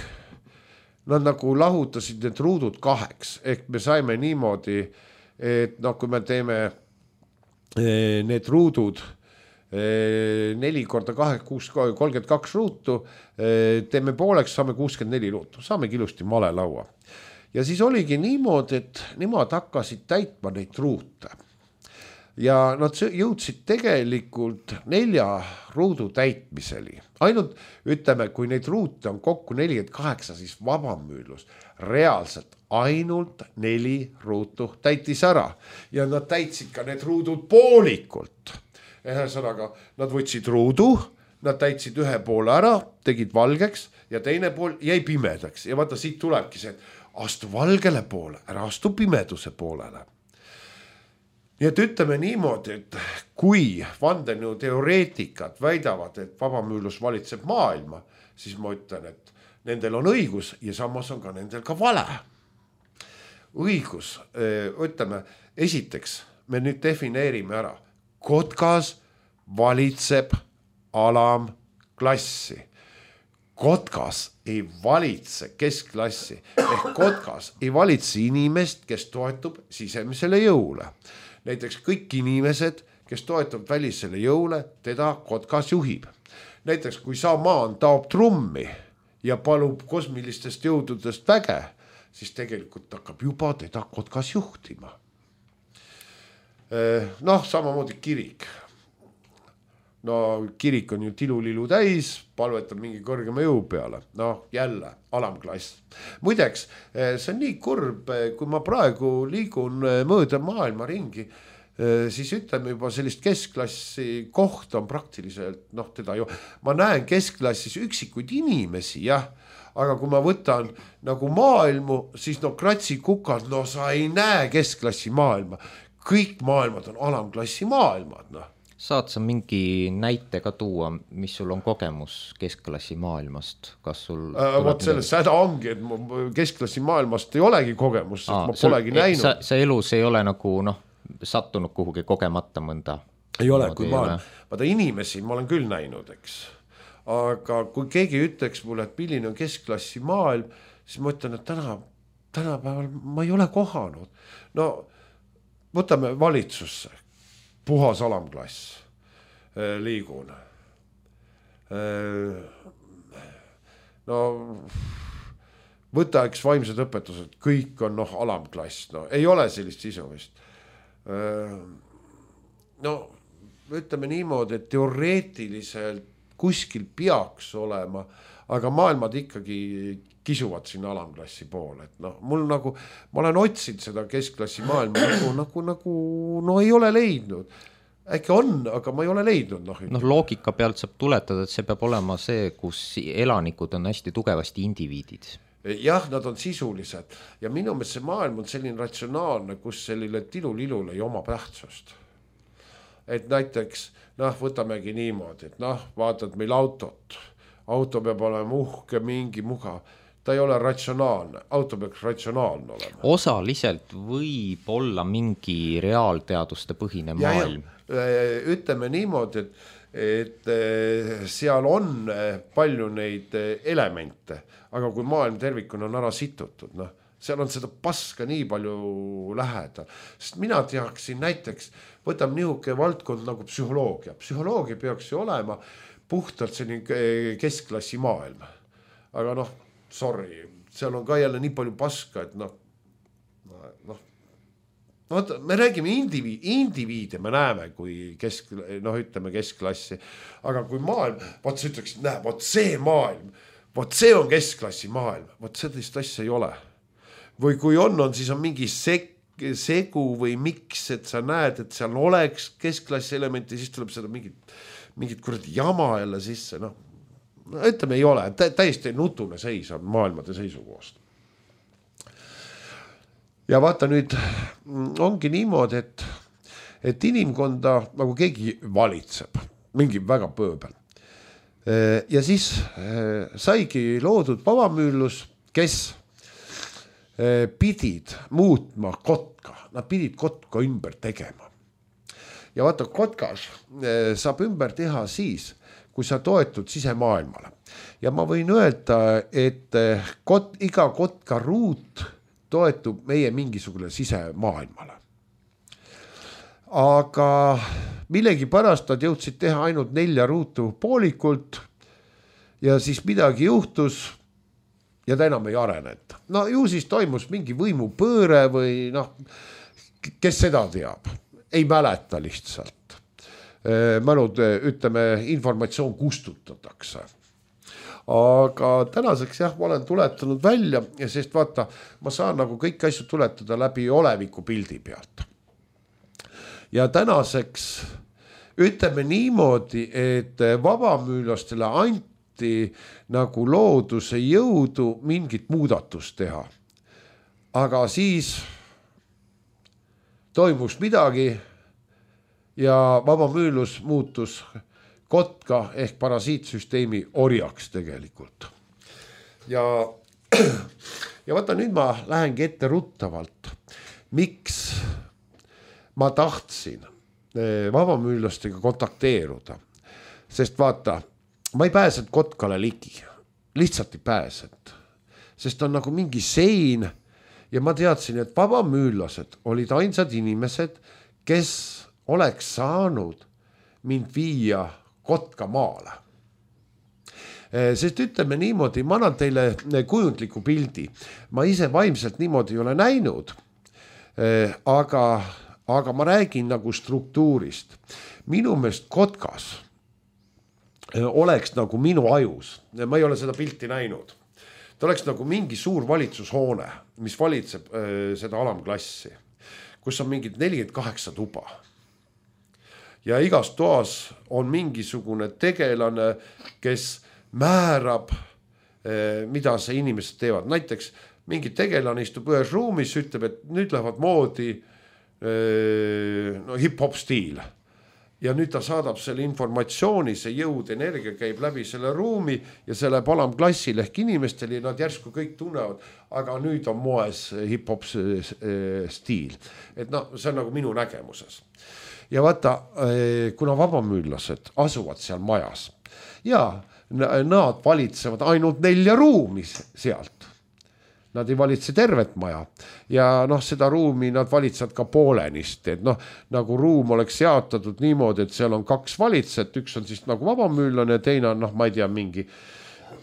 nad nagu lahutasid need ruudud kaheks. Ehk me saime niimoodi, et no, kui me teeme need ruudud neli korda kahe, kuus, kolmkümmend kaks ruutu, teeme pooleks, saame kuuskümmend neli ruutu, saame ilusti malelaua. Ja siis oligi niimoodi, et nemad hakkasid täitma neid ruute. Ja nad jõudsid tegelikult nelja ruudu täitmiseli. Ainult ütleme, kui neid ruute on kokku nelikümmend kaheksa, siis vabamüülus reaalselt ainult neli ruutu täitis ära. Ja nad täitsid ka need ruudud poolikult. Ühesõnaga, nad võtsid ruudu, nad täitsid ühe poole ära, tegid valgeks ja teine pool jäi pimedaks. Ja vaata, siit tulebki see, et astu valgele poole, ära astu pimeduse poolele. Nii et ütleme niimoodi, et kui vandenõu teoreetikad väidavad, et vabamüülus valitseb maailma, siis ma ütlen, et nendel on õigus ja samas on ka nendel ka vale. Õigus, ütleme, esiteks me nüüd defineerime ära. Kotkas valitseb alamklassi. Kotkas ei valitse keskklassi. Ehk kotkas ei valitse inimest, kes toetub sisemisele jõule. Näiteks kõik inimesed, kes toetub välisele jõule, teda kotkas juhib. Näiteks kui Samaan taob trummi ja palub kosmilistest jõududest väge, siis tegelikult hakkab juba teda kotkas juhtima. Noh, samamoodi kirik. No kirik on ju tilulilu täis, palvetab mingi kõrgema jõu peale. No jälle, alamklass. Muideks, see on nii kurb, kui ma praegu liigun mööda maailma ringi, siis ütleme juba sellist keskklassi kohta on praktiliselt, noh teda ju, ma näen keskklassis üksikuid inimesi, jah, aga kui ma võtan nagu maailmu, siis no kratsi kukad, no sa ei näe keskklassi maailma, kõik maailmad on alamklassi maailmad, noh. Saad sa mingi näite ka tuua, mis sul on kogemus keskklassi maailmast? Kas sul äh, võt selles häda ongi, et ma keskklassi maailmast ei olegi kogemus, sest Aa, ma polegi sul, näinud. Sa, sa elus ei ole nagu noh, sattunud kuhugi kogemata mõnda? Ei ole, kui ma olen, vaata inimesi ma olen küll näinud, eks. Aga kui keegi ütleks mulle, et milline on keskklassi maailm, siis ma ütlen, et täna, tänapäeval ma ei ole kohanud. No võtame valitsusse. Puhas alamklass liigun. No võta eks vaimsed õpetused, kõik on noh alamklass, no ei ole sellist sisu vist. No ütleme niimoodi, et teoreetiliselt kuskil peaks olema, aga maailmad ikkagi kisuvad sinna alamklassi poole, et noh, mul nagu, ma olen otsinud seda keskklassi maailma nagu, nagu, nagu, no ei ole leidnud. Äkki on, aga ma ei ole leidnud. Noh, noh loogika pealt saab tuletada, et see peab olema see, kus elanikud on hästi tugevasti indiviidid. Jah, nad on sisulised ja minu meelest see maailm on selline ratsionaalne, kus sellile tilulilul ei oma tähtsust. Et näiteks, noh, võtamegi niimoodi, et noh, vaatad meil autot, auto peab olema uhke, mingi mugav. Ta ei ole ratsionaalne, auto peaks ratsionaalne olema. Osaliselt võib olla mingi reaalteaduste põhine maailm. Ja, ja, ütleme niimoodi, et, et seal on palju neid elemente, aga kui maailm tervikuna on ära situtud, noh, seal on seda paska nii palju lähedal. Sest mina teaksin näiteks, võtame nihuke valdkond nagu psühholoogia. Psühholoogia peaks ju olema puhtalt selline keskklassi maailm. Aga noh, sorry, seal on ka jälle nii palju paska, et noh, noh, no, me räägime indiviid, indiviide, me näeme, kui kesk, noh, ütleme keskklassi, aga kui maailm, vaat sa ütleks, näe, vaat see maailm, vaat see on keskklassi maailm, vaat sellist asja ei ole. Või kui on, on siis on mingi sek, segu või miks, et sa näed, et seal oleks keskklassi elementi, siis tuleb seda mingit, mingit kuradi jama jälle sisse, noh. No, ütleme ei ole, tä täiesti nutune seis on maailmade seisukohast. Ja vaata nüüd ongi niimoodi, et, et inimkonda nagu keegi valitseb, mingi väga pööbel. Ja siis saigi loodud vabamüüllus, kes pidid muutma kotka, nad pidid kotka ümber tegema. Ja vaata, kotkas saab ümber teha siis, kui sa toetud sisemaailmale. Ja ma võin öelda, et kot, iga kotka ruut toetub meie mingisugune sisemaailmale. Aga millegi pärast nad jõudsid teha ainult nelja ruutu poolikult ja siis midagi juhtus ja ta enam ei arenenud. No ju siis toimus mingi võimupööre või noh, kes seda teab, ei mäleta lihtsalt. Mälud, ütleme, informatsioon kustutatakse. Aga tänaseks jah, ma olen tuletanud välja, sest vaata, ma saan nagu kõik asju tuletada läbi oleviku pildi pealt. Ja tänaseks ütleme niimoodi, et vabamüülastele anti nagu looduse jõudu mingit muudatust teha. Aga siis toimus midagi ja vabamüülus muutus kotka ehk parasiitsüsteemi orjaks tegelikult. Ja, ja vaata nüüd ma lähengi ette ruttavalt, miks ma tahtsin vabamüüllastega kontakteeruda. Sest vaata, ma ei pääsenud kotkale ligi, lihtsalt ei pääsenud. Sest on nagu mingi sein ja ma teadsin, et vabamüüllased olid ainsad inimesed, kes oleks saanud mind viia kotka maale. Sest ütleme niimoodi, ma annan teile kujundliku pildi. Ma ise vaimselt niimoodi ei ole näinud, aga, aga ma räägin nagu struktuurist. Minu meelest kotkas oleks nagu minu ajus. Ma ei ole seda pilti näinud. Ta oleks nagu mingi suur valitsushoone, mis valitseb seda alamklassi, kus on mingid nelikümmend kaheksa tuba. ja igas toas on mingisugune tegelane, kes määrab, mida see inimesed teevad. Näiteks mingi tegelane istub ühes ruumis, ütleb, et nüüd lähevad moodi no, hip-hop stiil. Ja nüüd ta saadab selle informatsiooni, see jõud, energia käib läbi selle ruumi ja see läheb alamklassil ehk inimestel ja nad järsku kõik tunnevad, aga nüüd on moes hip-hop stiil. Et no, see on nagu minu nägemuses. Ja vaata, kuna vabamüüllased asuvad seal majas ja nad valitsevad ainult nelja ruumi sealt. Nad ei valitse tervet maja ja noh, seda ruumi nad valitsevad ka poolenist, et noh, nagu ruum oleks jaotatud niimoodi, et seal on kaks valitsejat, üks on siis nagu vabamüüllane ja teine on noh, ma ei tea, mingi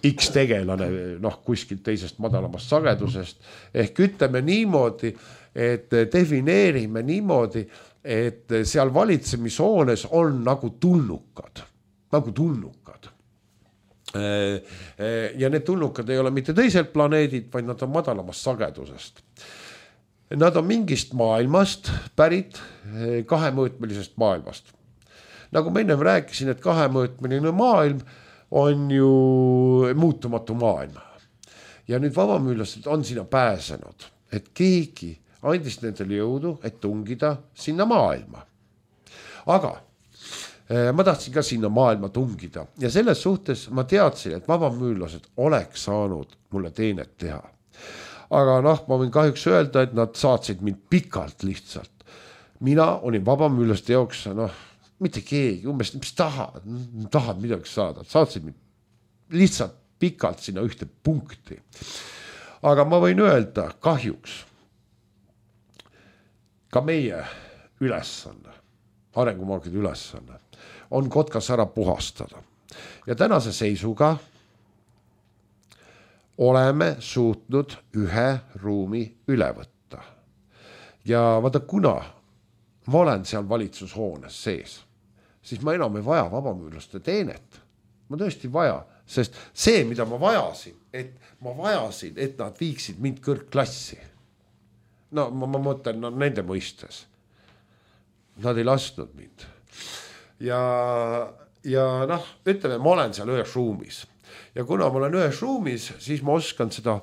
X tegelane noh, kuskilt teisest madalamast sagedusest. Ehk ütleme niimoodi, et defineerime niimoodi, et seal valitsemishoones on nagu tulnukad, nagu tulnukad. Ja need tulnukad ei ole mitte teiselt planeedid, vaid nad on madalamast sagedusest. Nad on mingist maailmast pärit, kahemõõtmelisest maailmast. Nagu ma ennem rääkisin, et kahemõõtmeline maailm on ju muutumatu maailm. Ja nüüd vabamüüllased on sinna pääsenud, et keegi andis nendele jõudu, et tungida sinna maailma. Aga ma tahtsin ka sinna maailma tungida ja selles suhtes ma teadsin, et vabamüüllased oleks saanud mulle teenet teha. Aga noh, ma võin kahjuks öelda, et nad saatsid mind pikalt lihtsalt. Mina olin vabamüüllaste jaoks, noh, mitte keegi, umbes, mis tahad, tahad midagi saada. Saatsid mind lihtsalt pikalt sinna ühte punkti. Aga ma võin öelda, kahjuks ka meie ülesanne, arengumaagide ülesanne, on kotkas ära puhastada. Ja tänase seisuga oleme suutnud ühe ruumi üle võtta. Ja vaata, kuna ma olen seal valitsushoones sees, siis ma enam ei vaja vabamüürlaste teenet. Ma tõesti vaja, sest see, mida ma vajasin, et ma vajasin, et nad viiksid mind kõrgklassi. No ma, ma mõtlen no, nende mõistes. Nad ei lasknud mind. Ja, ja noh, ütleme, ma olen seal ühes ruumis. Ja kuna ma olen ühes ruumis, siis ma oskan seda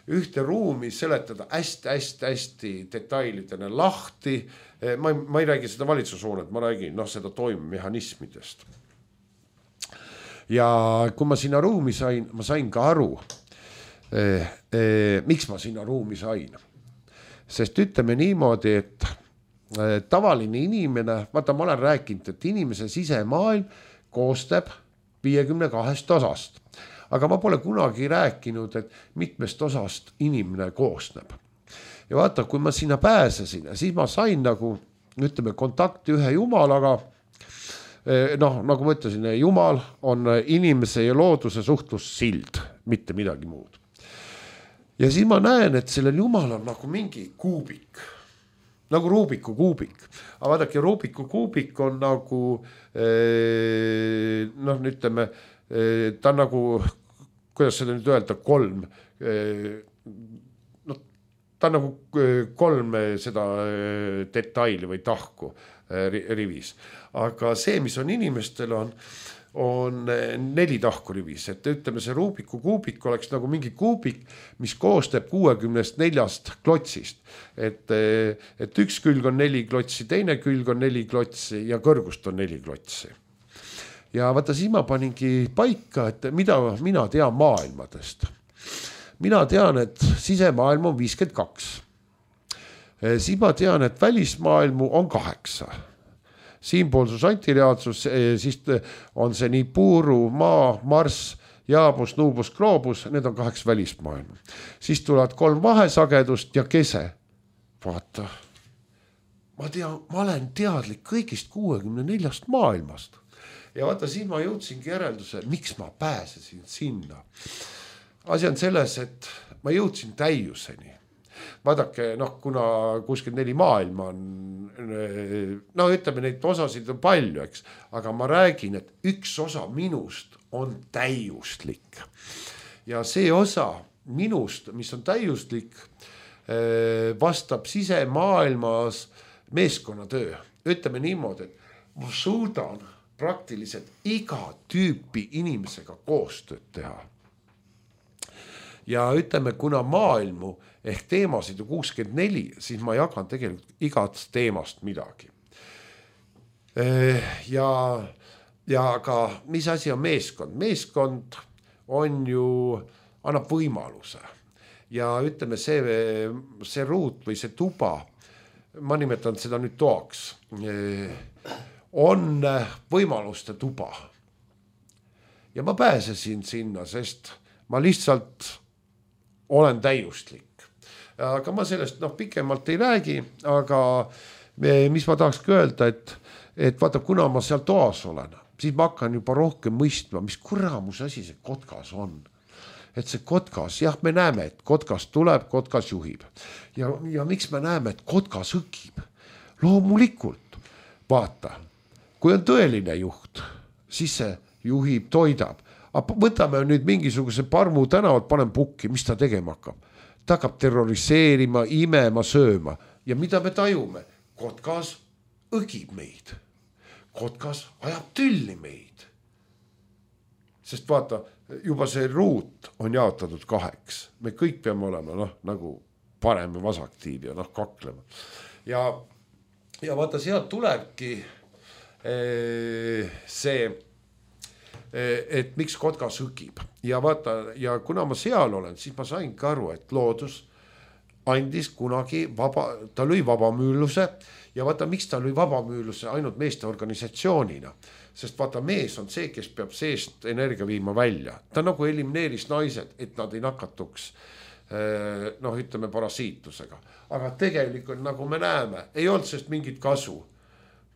ühte ruumi seletada hästi, hästi, hästi detailidena lahti. Ma ei, ma ei räägi seda valitsushoonet, ma räägin noh, seda toimemehhanismidest. Ja kui ma sinna ruumi sain, ma sain ka aru, eh, eh, miks ma sinna ruumi sain. Sest ütleme niimoodi, et tavaline inimene, vaata ma olen rääkinud, et inimese sisemaailm koostab viiekümne kahest osast. Aga ma pole kunagi rääkinud, et mitmest osast inimene koosneb. Ja vaata, kui ma sinna pääsesin, siis ma sain nagu, ütleme, kontakti ühe jumalaga. Noh, nagu ma ütlesin, jumal on inimese ja looduse suhtlussild, mitte midagi muud. Ja siis ma näen, et sellel jumal on nagu mingi kuubik. Nagu Rubiku kuubik. Aga vaadake, Rubiku kuubik on nagu, noh, ütleme, ta on nagu, kuidas seda nüüd öelda, kolm, no, ta on nagu kolm seda detaili või tahku rivis. Aga see, mis on inimestel on, on neli tahku rivis, et ütleme, see Rubiku kuubik oleks nagu mingi kuubik, mis koostab kuuekümnest neljast klotsist. Et, et üks külg on neli klotsi, teine külg on neli klotsi ja kõrgust on neli klotsi. Ja vaata, siis ma paningi paika, et mida mina tean maailmadest. Mina tean, et sisemaailm on viiskümmend kaks. Siis ma tean, et välismaailmu on kaheksa. Siinpoolsus, antireaalsus, siis on see nii Puuru, Maa, Marss, Jaabus, Nuubus, Gloobus, need on kaheks välismaailma. Siis tulevad kolm vahesagedust ja kese. Vaata, ma, tean, ma olen teadlik kõigist kuuekümne neljast maailmast. Ja vaata, siin ma jõudsingi järelduse, miks ma pääsesin sinna. Asi on selles, et ma jõudsin täiuseni. Vaadake, noh, kuna kuuskümmend neli maailma on, no ütleme, neid osasid on palju, eks, aga ma räägin, et üks osa minust on täiuslik. Ja see osa minust, mis on täiuslik, vastab sisemaailmas meeskonnatöö. Ütleme niimoodi, et ma suudan praktiliselt iga tüüpi inimesega koostööd teha. Ja ütleme, kuna maailmu ehk teemasid on kuuskümmend neli, siis ma jagan tegelikult igast teemast midagi. Ja, ja ka mis asi on meeskond? Meeskond on ju, annab võimaluse. Ja ütleme, see, see ruut või see tuba, ma nimetan seda nüüd toaks, on võimaluste tuba. Ja ma pääsesin sinna, sest ma lihtsalt olen täiustlik. Aga ma sellest noh, pikemalt ei räägi, aga mis ma tahakski öelda, et, et vaata, kuna ma seal toas olen, siis ma hakkan juba rohkem mõistma, mis kuramus asi see kotkas on. Et see kotkas, jah, me näeme, et kotkas tuleb, kotkas juhib. Ja, ja miks me näeme, et kotkas õkib? Loomulikult, vaata, kui on tõeline juht, siis see juhib, toidab. Aga võtame nüüd mingisuguse parmu tänavat, panen pukki, mis ta tegema hakkab? Ta hakkab terroriseerima, imema, sööma. Ja mida me tajume? Kotkas õgib meid. Kotkas ajab tülli meid. Sest vaata, juba see ruut on jaotatud kaheks. Me kõik peame olema noh, nagu parem ja vasaktiiv ja noh, kaklema. Ja, ja vaata, sealt tulebki ee, see et miks kotkas õgib. Ja vaata, ja kuna ma seal olen, siis ma sain ka aru, et loodus andis kunagi vaba, ta lõi vabamüüluse ja vaata, miks ta lõi vabamüüluse ainult meeste organisatsioonina. Sest vaata, mees on see, kes peab seest energia viima välja. Ta nagu elimineeris naised, et nad ei nakatuks noh, ütleme parasiitusega. Aga tegelikult, nagu me näeme, ei olnud sest mingit kasu.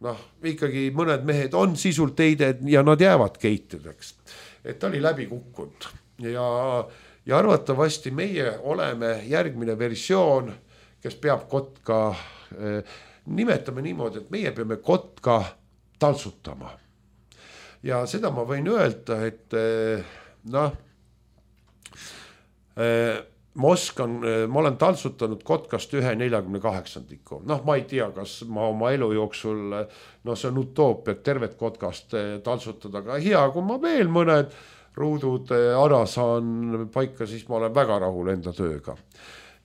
Noh, ikkagi mõned mehed on sisult teided ja nad jäävad keitideks. Et ta oli läbi kukkunud. Ja, ja arvatavasti meie oleme järgmine versioon, kes peab kotka, eh, nimetame niimoodi, et meie peame kotka taltsutama. Ja seda ma võin öelda, et eh, noh, eh, ma oskan, ma olen taltsutanud kotkast ühe neljakümne kaheksandiku. Noh, ma ei tea, kas ma oma elu jooksul, no see on utoopia, et tervet kotkast taltsutada, aga hea, kui ma veel mõned ruudud ära saan paika, siis ma olen väga rahul enda tööga.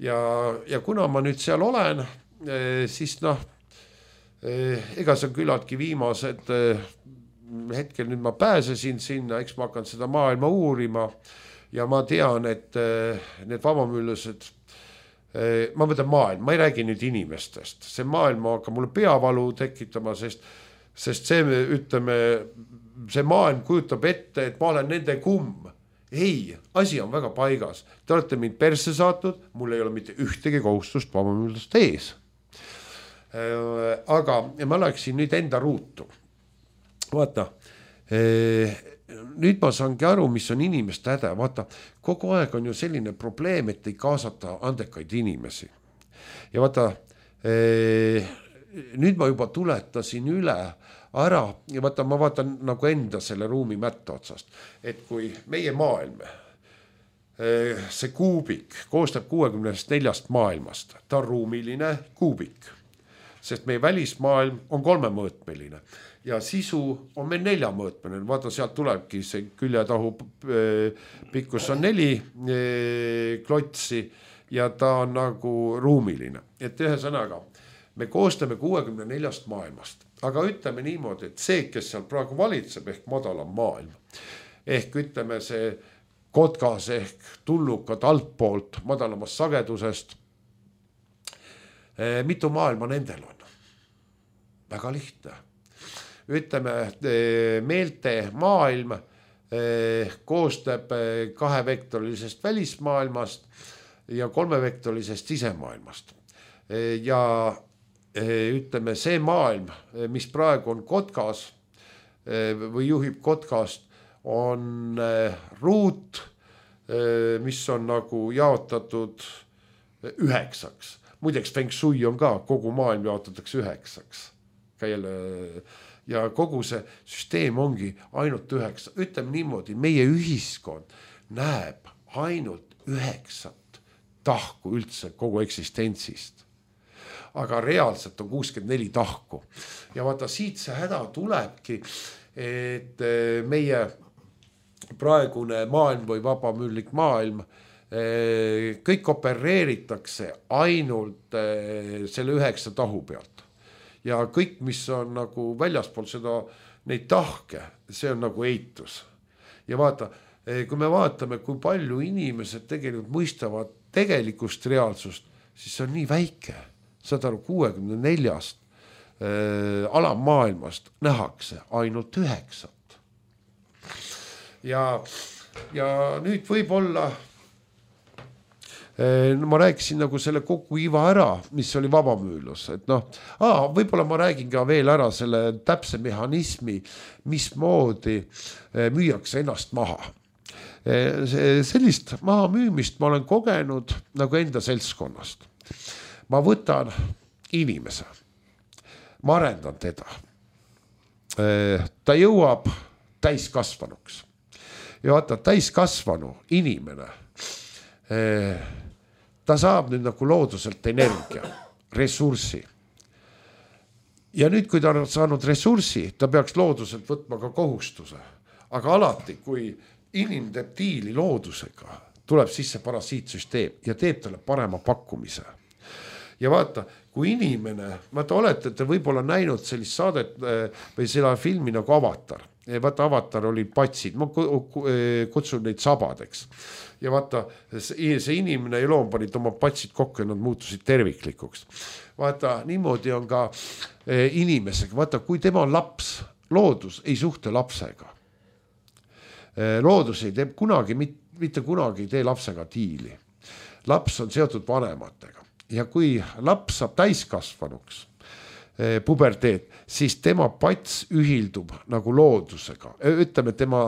Ja, ja kuna ma nüüd seal olen, siis noh, ega see on küllalt viimased hetkel nüüd ma pääsesin sinna, eks ma hakkan seda maailma uurima. Ja ma tean, et need vabamüülused, ma mõtlen maailm, ma ei räägi nüüd inimestest. See maailm hakkab mulle peavalu tekitama, sest, sest see, ütleme, see maailm kujutab ette, et ma olen nende kumm. Ei, asi on väga paigas. Te olete mind persse saatnud, mul ei ole mitte ühtegi kohustust vabamüülust ees. Aga ma läksin nüüd enda ruutu. Vaata, nüüd ma saangi aru, mis on inimeste häda. Vaata, kogu aeg on ju selline probleem, et ei kaasata andekaid inimesi. Ja vaata, nüüd ma juba tuletasin üle ära ja vaata, ma vaatan nagu enda selle ruumi mätta otsast. Et kui meie maailm, see kuubik koostab kuuekümnest neljast maailmast, ta on ruumiline kuubik, sest meie välismaailm on kolmemõõtmeline. Ja sisu on meil neljamõõtmeline. Vaata, sealt tulebki see küljetahu pikkus on neli klotsi ja ta on nagu ruumiline. Et ühe sõnaga, me koostame kuuekümne neljast maailmast. Aga ütleme niimoodi, et see, kes seal praegu valitseb ehk madalam maailm, ehk ütleme see kotkas ehk tullukad altpoolt madalamast sagedusest, mitu maailma nendel on? Väga lihtne. Ütleme, meelte maailm koostab kahevektorilisest välismaailmast ja kolmevektorilisest sisemaailmast. Ja ütleme, see maailm, mis praegu on kotkas või juhib kotkast, on ruut, mis on nagu jaotatud üheksaks. Muideks Feng Shui on ka, kogu maailm jaotatakse üheksaks. Jälle, ja kogu see süsteem ongi ainult üheksa. Ütleme niimoodi, meie ühiskond näeb ainult üheksat tahku üldse kogu eksistentsist. aga reaalselt on kuuskümmend neli tahku. Ja vaata siit see häda tulebki, et meie praegune maailm või vabamüüllik maailm, kõik opereeritakse ainult selle üheksa tahu pealt. Ja kõik, mis on nagu väljaspool seda, neid tahke, see on nagu eitus. Ja vaata, kui me vaatame, kui palju inimesed tegelikult mõistavad tegelikust reaalsust, siis see on nii väike. Saad aru, kuuekümne neljast äh, alammaailmast nähakse ainult üheksat. Ja, ja nüüd võib-olla äh, no ma rääkisin nagu selle kogu iva ära, mis oli vabamüülus, et noh, aa, võib-olla ma räägin ka veel ära selle täpse mehhanismi, mismoodi äh, müüakse ennast maha. Äh, sellist maha müümist ma olen kogenud nagu enda seltskonnast. Ma võtan inimese, ma arendan teda. Äh, ta jõuab täiskasvanuks. Ja vaata, täiskasvanu inimene, ta saab nüüd nagu looduselt energia, ressurssi. Ja nüüd, kui ta on saanud ressurssi, ta peaks looduselt võtma ka kohustuse. Aga alati, kui inimene teeb diili loodusega, tuleb sisse parasiitsüsteem ja teeb talle parema pakkumise. Ja vaata, kui inimene, vaata olete te võib-olla näinud sellist saadet või selle filmi nagu Avatar. Vaata, Avatar oli patsid, ma kutsun neid sabadeks. Ja vaata, see inimene ja loom panid oma patsid kokku ja nad muutusid terviklikuks. Vaata, niimoodi on ka inimesega. Vaata, kui tema laps, loodus ei suhte lapsega. Loodus ei tee kunagi, mitte kunagi ei tee lapsega diili. Laps on seotud vanematega. Ja kui laps saab täiskasvanuks, puberteet, siis tema pats ühildub nagu loodusega. Ütleme, tema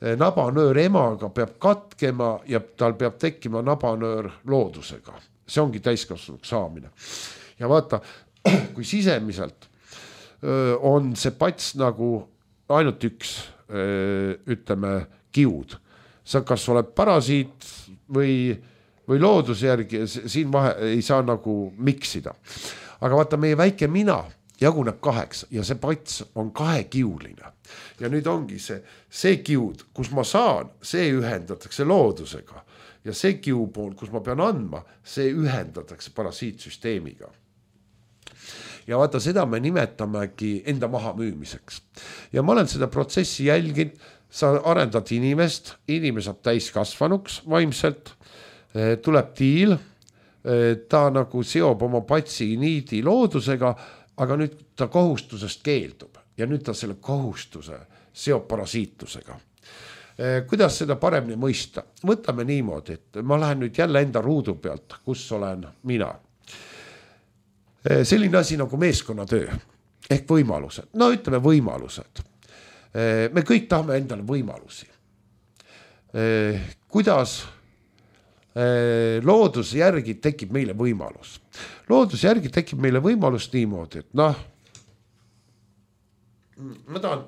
nabanöör emaga peab katkema ja tal peab tekkima nabanöör loodusega. See ongi täiskasvanuks saamine. Ja vaata, kui sisemiselt on see pats nagu ainult üks, ütleme, kiud. Sa kas oled parasiit või, või looduse järgi, siin vahe ei saa nagu miksida. Aga vaata, meie väike mina jaguneb kaheks ja see pats on kahekiuline. Ja nüüd ongi see, see kiud, kus ma saan, see ühendatakse loodusega. Ja see kiupool, kus ma pean andma, see ühendatakse parasiitsüsteemiga. Ja vaata, seda me nimetamegi enda maha müümiseks. Ja ma olen seda protsessi jälginud, sa arendad inimest, inimene saab täiskasvanuks vaimselt, tuleb diil, ta nagu seob oma patsi niidi loodusega, aga nüüd ta kohustusest keeldub ja nüüd ta selle kohustuse seob parasiitlusega. Kuidas seda paremini mõista? Võtame niimoodi, et ma lähen nüüd jälle enda ruudu pealt, kus olen mina. Selline asi nagu meeskonnatöö ehk võimalused. No ütleme võimalused. Me kõik tahame endale võimalusi. Kuidas looduse järgi tekib meile võimalus. Looduse järgi tekib meile võimalus niimoodi, et noh, ma tahan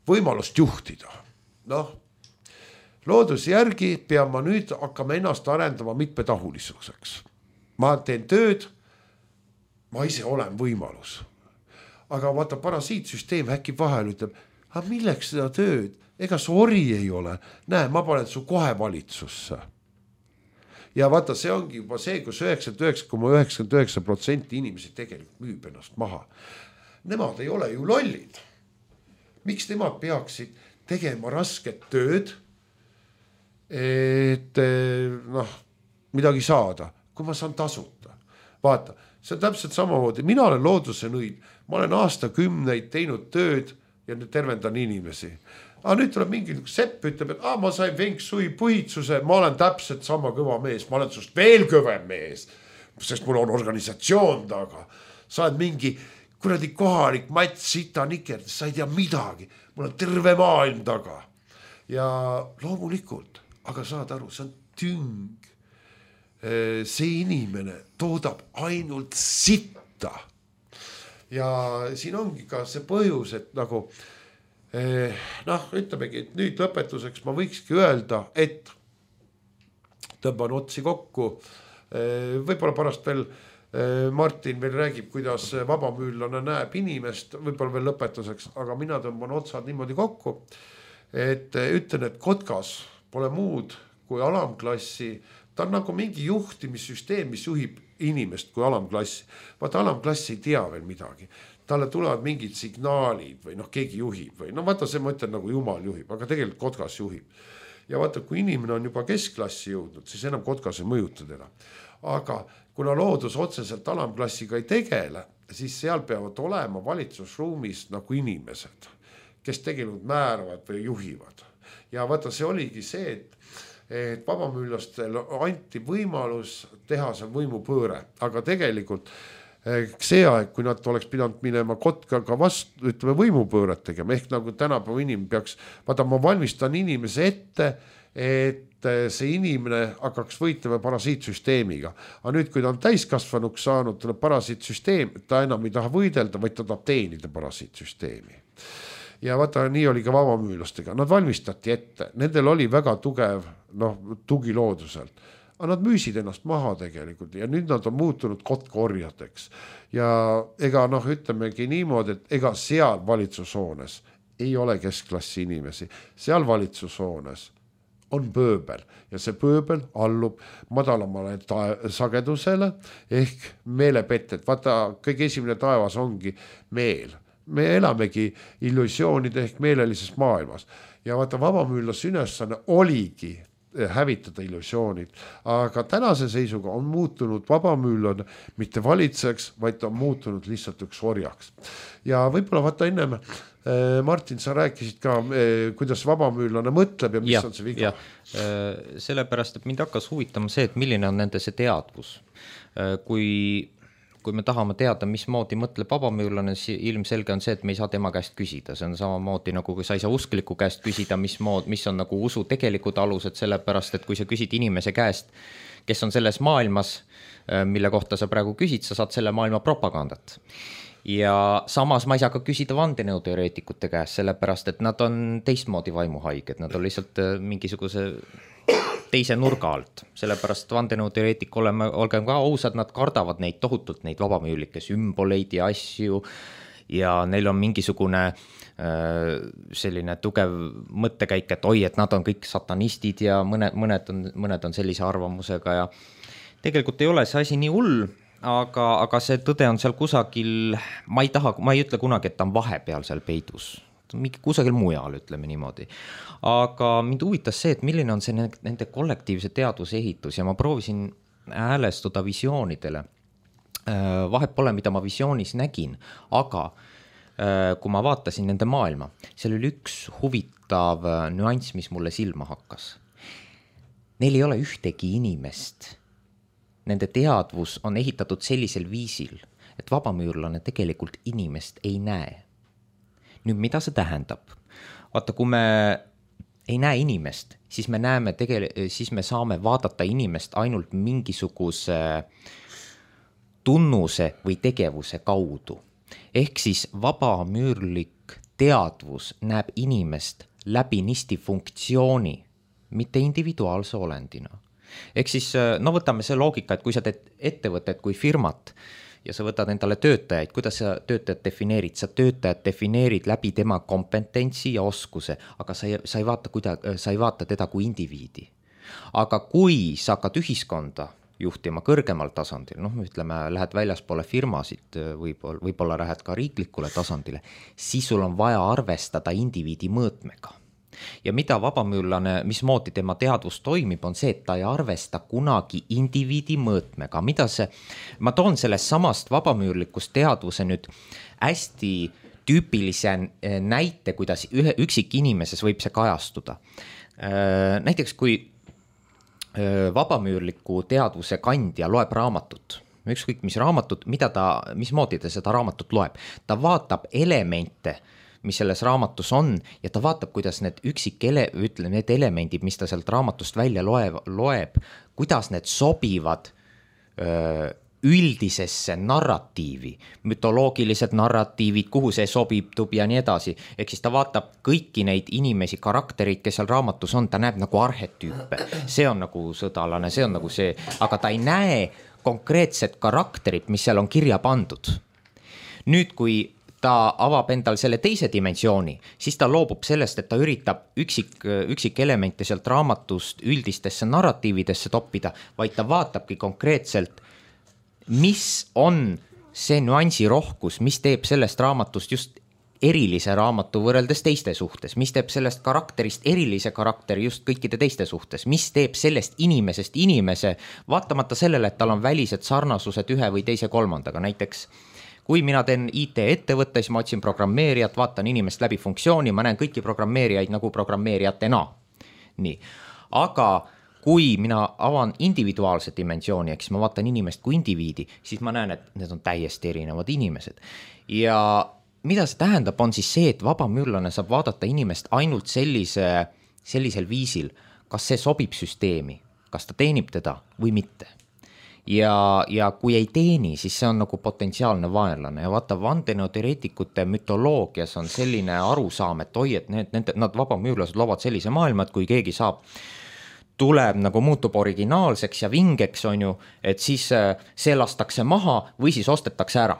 võimalust juhtida. Noh, looduse järgi pean ma nüüd hakkama ennast arendama mitmetahulisuseks. Ma teen tööd, ma ise olen võimalus. Aga vaata, parasiitsüsteem häkib vahel, ütleb, aga milleks seda tööd? Ega su ori ei ole. Näe, ma panen su kohe valitsusse. Ja vaata, see ongi juba see, kus üheksakümmend üheksa koma üheksakümmend üheksa protsenti inimesi tegelikult müüb ennast maha. Nemad ei ole ju lollid. Miks nemad peaksid tegema rasket tööd, et noh, midagi saada, kui ma saan tasuta? Vaata, see on täpselt samamoodi. Mina olen looduse nõid. Ma olen aastakümneid teinud tööd ja nüüd tervendan inimesi. Aga nüüd tuleb mingi sepp, ütleb, et ah, ma sain Feng Shui põhitsuse, ma olen täpselt sama kõva mees, ma olen sust veel kõvem mees, sest mul on organisatsioon taga. Sa oled mingi kuradi kohalik Mats Sita Nikerd, sa ei tea midagi, mul on terve maailm taga. Ja loomulikult, aga saad aru, see on tüng. See inimene toodab ainult sitta. Ja siin ongi ka see põhjus, et nagu noh, ütlemegi, et nüüd lõpetuseks ma võikski öelda, et tõmban otsi kokku, võib-olla pärast veel Martin veel räägib, kuidas vabamüüllane näeb inimest, võib-olla veel lõpetuseks, aga mina tõmban otsad niimoodi kokku, et ütlen, et Kotkas pole muud kui alamklassi, ta on nagu mingi juhtimissüsteem, mis juhib inimest kui alamklassi. Vaata, alamklass ei tea veel midagi. Talle tulevad mingid signaalid või noh, keegi juhib või no vaata, see ma ütlen nagu jumal juhib, aga tegelikult Kotkas juhib. Ja vaata, kui inimene on juba keskklassi jõudnud, siis enam Kotkas ei mõjuta teda. Aga kuna loodus otseselt alamklassiga ei tegele, siis seal peavad olema valitsusruumis nagu inimesed, kes tegelikult määravad või juhivad. Ja vaata, see oligi see, et et vabamüülastel anti võimalus teha seal võimupööre, aga tegelikult see aeg, kui nad oleks pidanud minema Kotkaga vastu, ütleme võimupööret tegema, ehk nagu tänapäeva inimene peaks, vaata ma valmistan inimese ette, et see inimene hakkaks võitlema parasiitsüsteemiga. Aga nüüd, kui ta on täiskasvanuks saanud, tuleb parasiitsüsteem, ta enam ei taha võidelda, vaid ta tahab teenida parasiitsüsteemi. Ja vaata, nii oli ka vabamüülastega. Nad valmistati ette. Nendel oli väga tugev noh, tugi looduselt. Aga nad müüsid ennast maha tegelikult ja nüüd nad on muutunud kotkorjadeks. Ja ega noh, ütlemegi niimoodi, et ega seal valitsushoones ei ole keskklassi inimesi. Seal valitsushoones on pööbel ja see pööbel allub madalamale ta- sagedusele ehk meelepetted. Vaata, kõige esimene taevas ongi meel. Me elamegi illusioonide ehk meelelises maailmas ja vaata vabamüüllase ülesanne oligi hävitada illusioonid, aga tänase seisuga on muutunud vabamüüllane mitte valitseks, vaid ta on muutunud lihtsalt üks orjaks. Ja võib-olla vaata ennem Martin, sa rääkisid ka, kuidas vabamüüllane mõtleb ja mis ja, on see viga? Sellepärast, et mind hakkas huvitama see, et milline on nende see teadvus. Kui kui me tahame teada, mismoodi mõtleb vabamüüllane, siis ilmselge on see, et me ei saa tema käest küsida. See on samamoodi nagu, kui sa ei saa uskliku käest küsida, mis, mood, mis on nagu usu tegelikud alused, sellepärast, et kui sa küsid inimese käest, kes on selles maailmas, mille kohta sa praegu küsid, sa saad selle maailma propagandat. Ja samas ma ei saa ka küsida vandenõuteoreetikute käest, sellepärast, et nad on teistmoodi vaimuhaiged, nad on lihtsalt mingisuguse teise nurga alt, sellepärast vandenõuteoreetik oleme, olgem ka ausad, nad kardavad neid tohutult, neid vabamüülikke sümboleid ja asju ja neil on mingisugune äh, selline tugev mõttekäik, et oi, et nad on kõik satanistid ja mõned, mõned, on, mõned on sellise arvamusega ja tegelikult ei ole see asi nii hull, aga, aga see tõde on seal kusagil, ma ei taha, ma ei ütle kunagi, et ta on vahepeal seal peidus. Mingi kusagil mujal, ütleme niimoodi. Aga mind huvitas see, et milline on see nende kollektiivse teadvuse ehitus ja ma proovisin häälestuda visioonidele. Vahet pole, mida ma visioonis nägin, aga kui ma vaatasin nende maailma, seal oli üks huvitav nüanss, mis mulle silma hakkas. Neil ei ole ühtegi inimest. Nende teadvus on ehitatud sellisel viisil, et vabamüürlane tegelikult inimest ei näe. Nüüd, mida see tähendab? Vaata, kui me ei näe inimest, siis me näeme tegel- siis me saame vaadata inimest ainult mingisuguse tunnuse või tegevuse kaudu. Ehk siis vabamüürlik teadvus näeb inimest läbi nisti funktsiooni, mitte individuaalse olendina. Ehk siis, no võtame see loogika, et kui sa teed ettevõtet kui firmat, ja sa võtad endale töötajaid, kuidas sa töötajad defineerid? Sa töötajad defineerid läbi tema kompetentsi ja oskuse, aga sa ei, sa ei, vaata, kuida, sa ei vaata teda kui indiviidi. Aga kui sa hakkad ühiskonda juhtima kõrgemal tasandil, noh, ütleme, lähed väljaspoole firmasid, võib-olla, võib-olla lähed ka riiklikule tasandile, siis sul on vaja arvestada indiviidi mõõtmega. Ja mida vabamüürlane, mismoodi tema teadvus toimib, on see, et ta ei arvesta kunagi indiviidi mõõtmega. Mida see, ma toon sellest samast vabamüürlikust teadvuse nüüd hästi tüüpilise näite, kuidas ühe üksik inimeses võib see kajastuda. Näiteks kui vabamüürliku teadvuse kandja loeb raamatut, ükskõik mis raamatut, mida ta, mismoodi ta seda raamatut loeb, ta vaatab elemente, mis selles raamatus on ja ta vaatab, kuidas need üksik ele, ütle, need elemendid, mis ta sealt raamatust välja loeb, loeb kuidas need sobivad öö, üldisesse narratiivi, mütoloogilised narratiivid, kuhu see sobib ja nii edasi. Ehk siis ta vaatab kõiki neid inimesi, karakterid, kes seal raamatus on, ta näeb nagu arhetüüpe. See on nagu sõdalane, see on nagu see, aga ta ei näe konkreetsed karakterid, mis seal on kirja pandud. Nüüd, kui ta avab endal selle teise dimensiooni, siis ta loobub sellest, et ta üritab üksik, üksik elemente sealt raamatust üldistesse narratiividesse toppida, vaid ta vaatabki konkreetselt, mis on see nüansi rohkus, mis teeb sellest raamatust just erilise raamatu võrreldes teiste suhtes, mis teeb sellest karakterist erilise karakteri just kõikide teiste suhtes, mis teeb sellest inimesest inimese, vaatamata sellele, et tal on välised sarnasused ühe või teise kolmandaga. Näiteks, kui mina teen I T-ettevõtte, siis ma otsin programmeerijat, vaatan inimest läbi funktsiooni, ma näen kõiki programmeerijaid nagu programmeerijatena. Nii, aga kui mina avan individuaalse dimensiooni, eks ma vaatan inimest kui indiviidi, siis ma näen, et need on täiesti erinevad inimesed. Ja mida see tähendab, on siis see, et vabamüürlane saab vaadata inimest ainult sellise, sellisel viisil, kas see sobib süsteemi, kas ta teenib teda või mitte. Ja, ja kui ei teeni, siis see on nagu potentsiaalne vaenlane ja vaata, vandenõuteoreetikute mütoloogias on selline arusaam, et oi, et need, need, nad vabamüürlased loovad sellise maailma, et kui keegi saab, tuleb nagu muutub originaalseks ja vingeks, on ju, et siis see lastakse maha või siis ostetakse ära.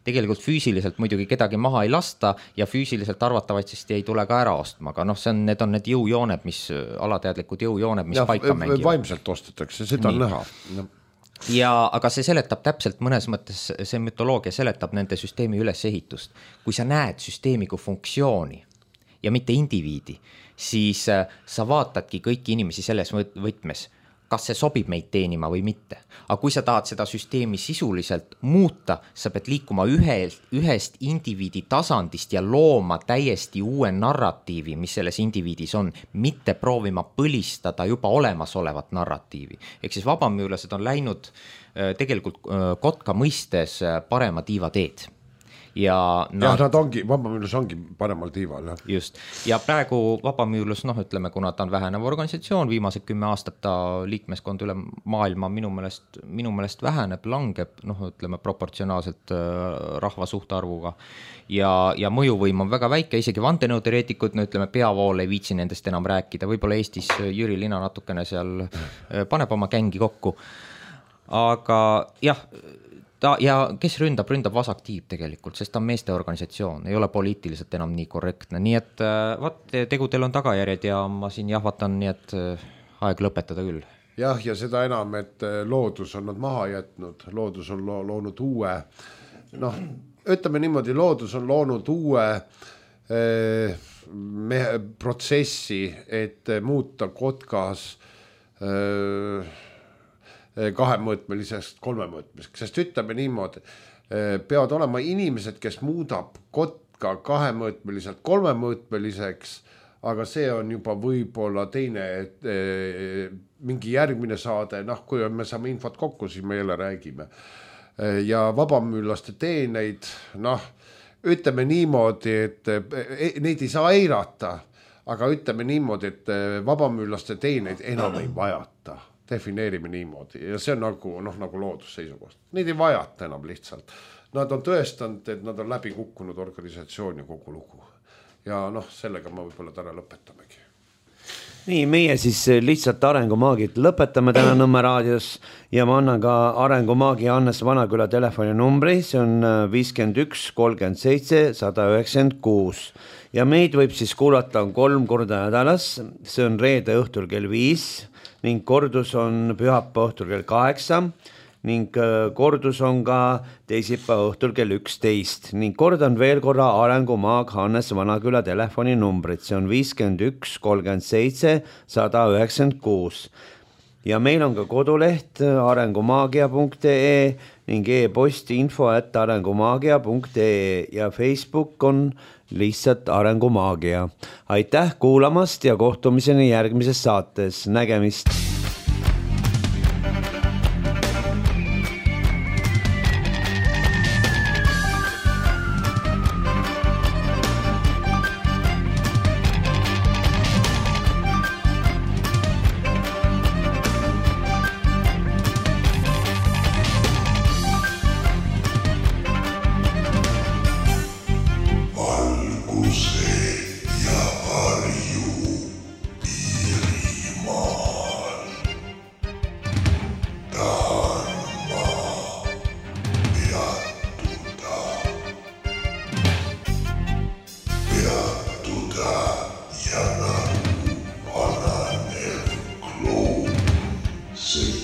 Tegelikult füüsiliselt muidugi kedagi maha ei lasta ja füüsiliselt arvatavasti ei tule ka ära ostma, aga noh, see on, need on need jõujooned, mis alateadlikud jõujooned, mis ja, paika mängivad. Vaimselt ostetakse, seda on näha. No. Ja, aga see seletab täpselt mõnes mõttes, see mütoloogia seletab nende süsteemi ülesehitust. Kui sa näed süsteemi kui funktsiooni ja mitte indiviidi, siis sa vaatadki kõiki inimesi selles võtmes, kas see sobib meid teenima või mitte. Aga kui sa tahad seda süsteemi sisuliselt muuta, sa pead liikuma ühest, ühest indiviidi tasandist ja looma täiesti uue narratiivi, mis selles indiviidis on, mitte proovima põlistada juba olemasolevat narratiivi. Ehk siis vabamüürlased on läinud tegelikult Kotka mõistes parema tiiva teed. Ja nad, ja nad ongi, vabamüürlus ongi paremal tiival. Jah. Just. Ja praegu vabamüürlus, noh ütleme, kuna ta on vähenev organisatsioon, viimased kümme aastat ta liikmeskond üle maailma minu meelest, minu meelest väheneb, langeb, noh ütleme, proportsionaalselt rahva suhtarvuga. Ja, ja mõjuvõim on väga väike, isegi vandenõuteoreetikud, no ütleme, peavool ei viitsi nendest enam rääkida. Võib-olla Eestis Jüri Lina natukene seal paneb oma gängi kokku. Aga jah, Ta, ja kes ründab, ründab vasaktiib tegelikult, sest ta on meeste organisatsioon, ei ole poliitiliselt enam nii korrektne, nii et vaat, tegudel on tagajärjed ja ma siin jahvatan, nii et aeg lõpetada küll. Jah, ja seda enam, et loodus on nad maha jätnud, loodus on lo- loonud uue, noh, ütleme niimoodi, loodus on loonud uue eh, me, protsessi, et muuta Kotkas eh, kahemõõtmelisest kolmemõõtmeliseks, sest ütleme niimoodi, peavad olema inimesed, kes muudab Kotka kahemõõtmeliselt kolmemõõtmeliseks, aga see on juba võib-olla teine, mingi järgmine saade, noh, kui me saame infot kokku, siis me jälle räägime. Ja vabamüürlaste teeneid, noh, ütleme niimoodi, et neid ei saa eirata, aga ütleme niimoodi, et vabamüürlaste teeneid enam ei vajata. Defineerime niimoodi ja see on nagu, noh, nagu loodusseisukohast. Neid ei vajata enam lihtsalt. Nad on tõestanud, et nad on läbi kukkunud organisatsioon ja kogu lugu. Ja noh, sellega ma võib-olla täna lõpetamegi. Nii, meie siis lihtsalt arengumaagid lõpetame täna Nõmme raadios ja ma annan ka arengumaagi Hannes Vanaküla telefoni numbri, see on viiskümmend üks kolmkümmend seitse sada üheksakümmend kuus ja meid võib siis kuulata kolm korda nädalas, see on reede õhtul kell viis ning kordus on pühapäeva õhtul kell kaheksa ning kordus on ka teisipäeva õhtul kell üksteist ning kordan veel korra arengumaag Hannes Vanaküla telefoni numbrit, see on viiskümmend üks kolmkümmend seitse sada üheksakümmend kuus ja meil on ka koduleht arengumaagia punkt ee ning e-post info at arengumaagia punkt ee ja Facebook on lihtsalt arengumaagia. Aitäh kuulamast ja kohtumiseni järgmises saates. Nägemist! Valguse ja varju Iirimaal. see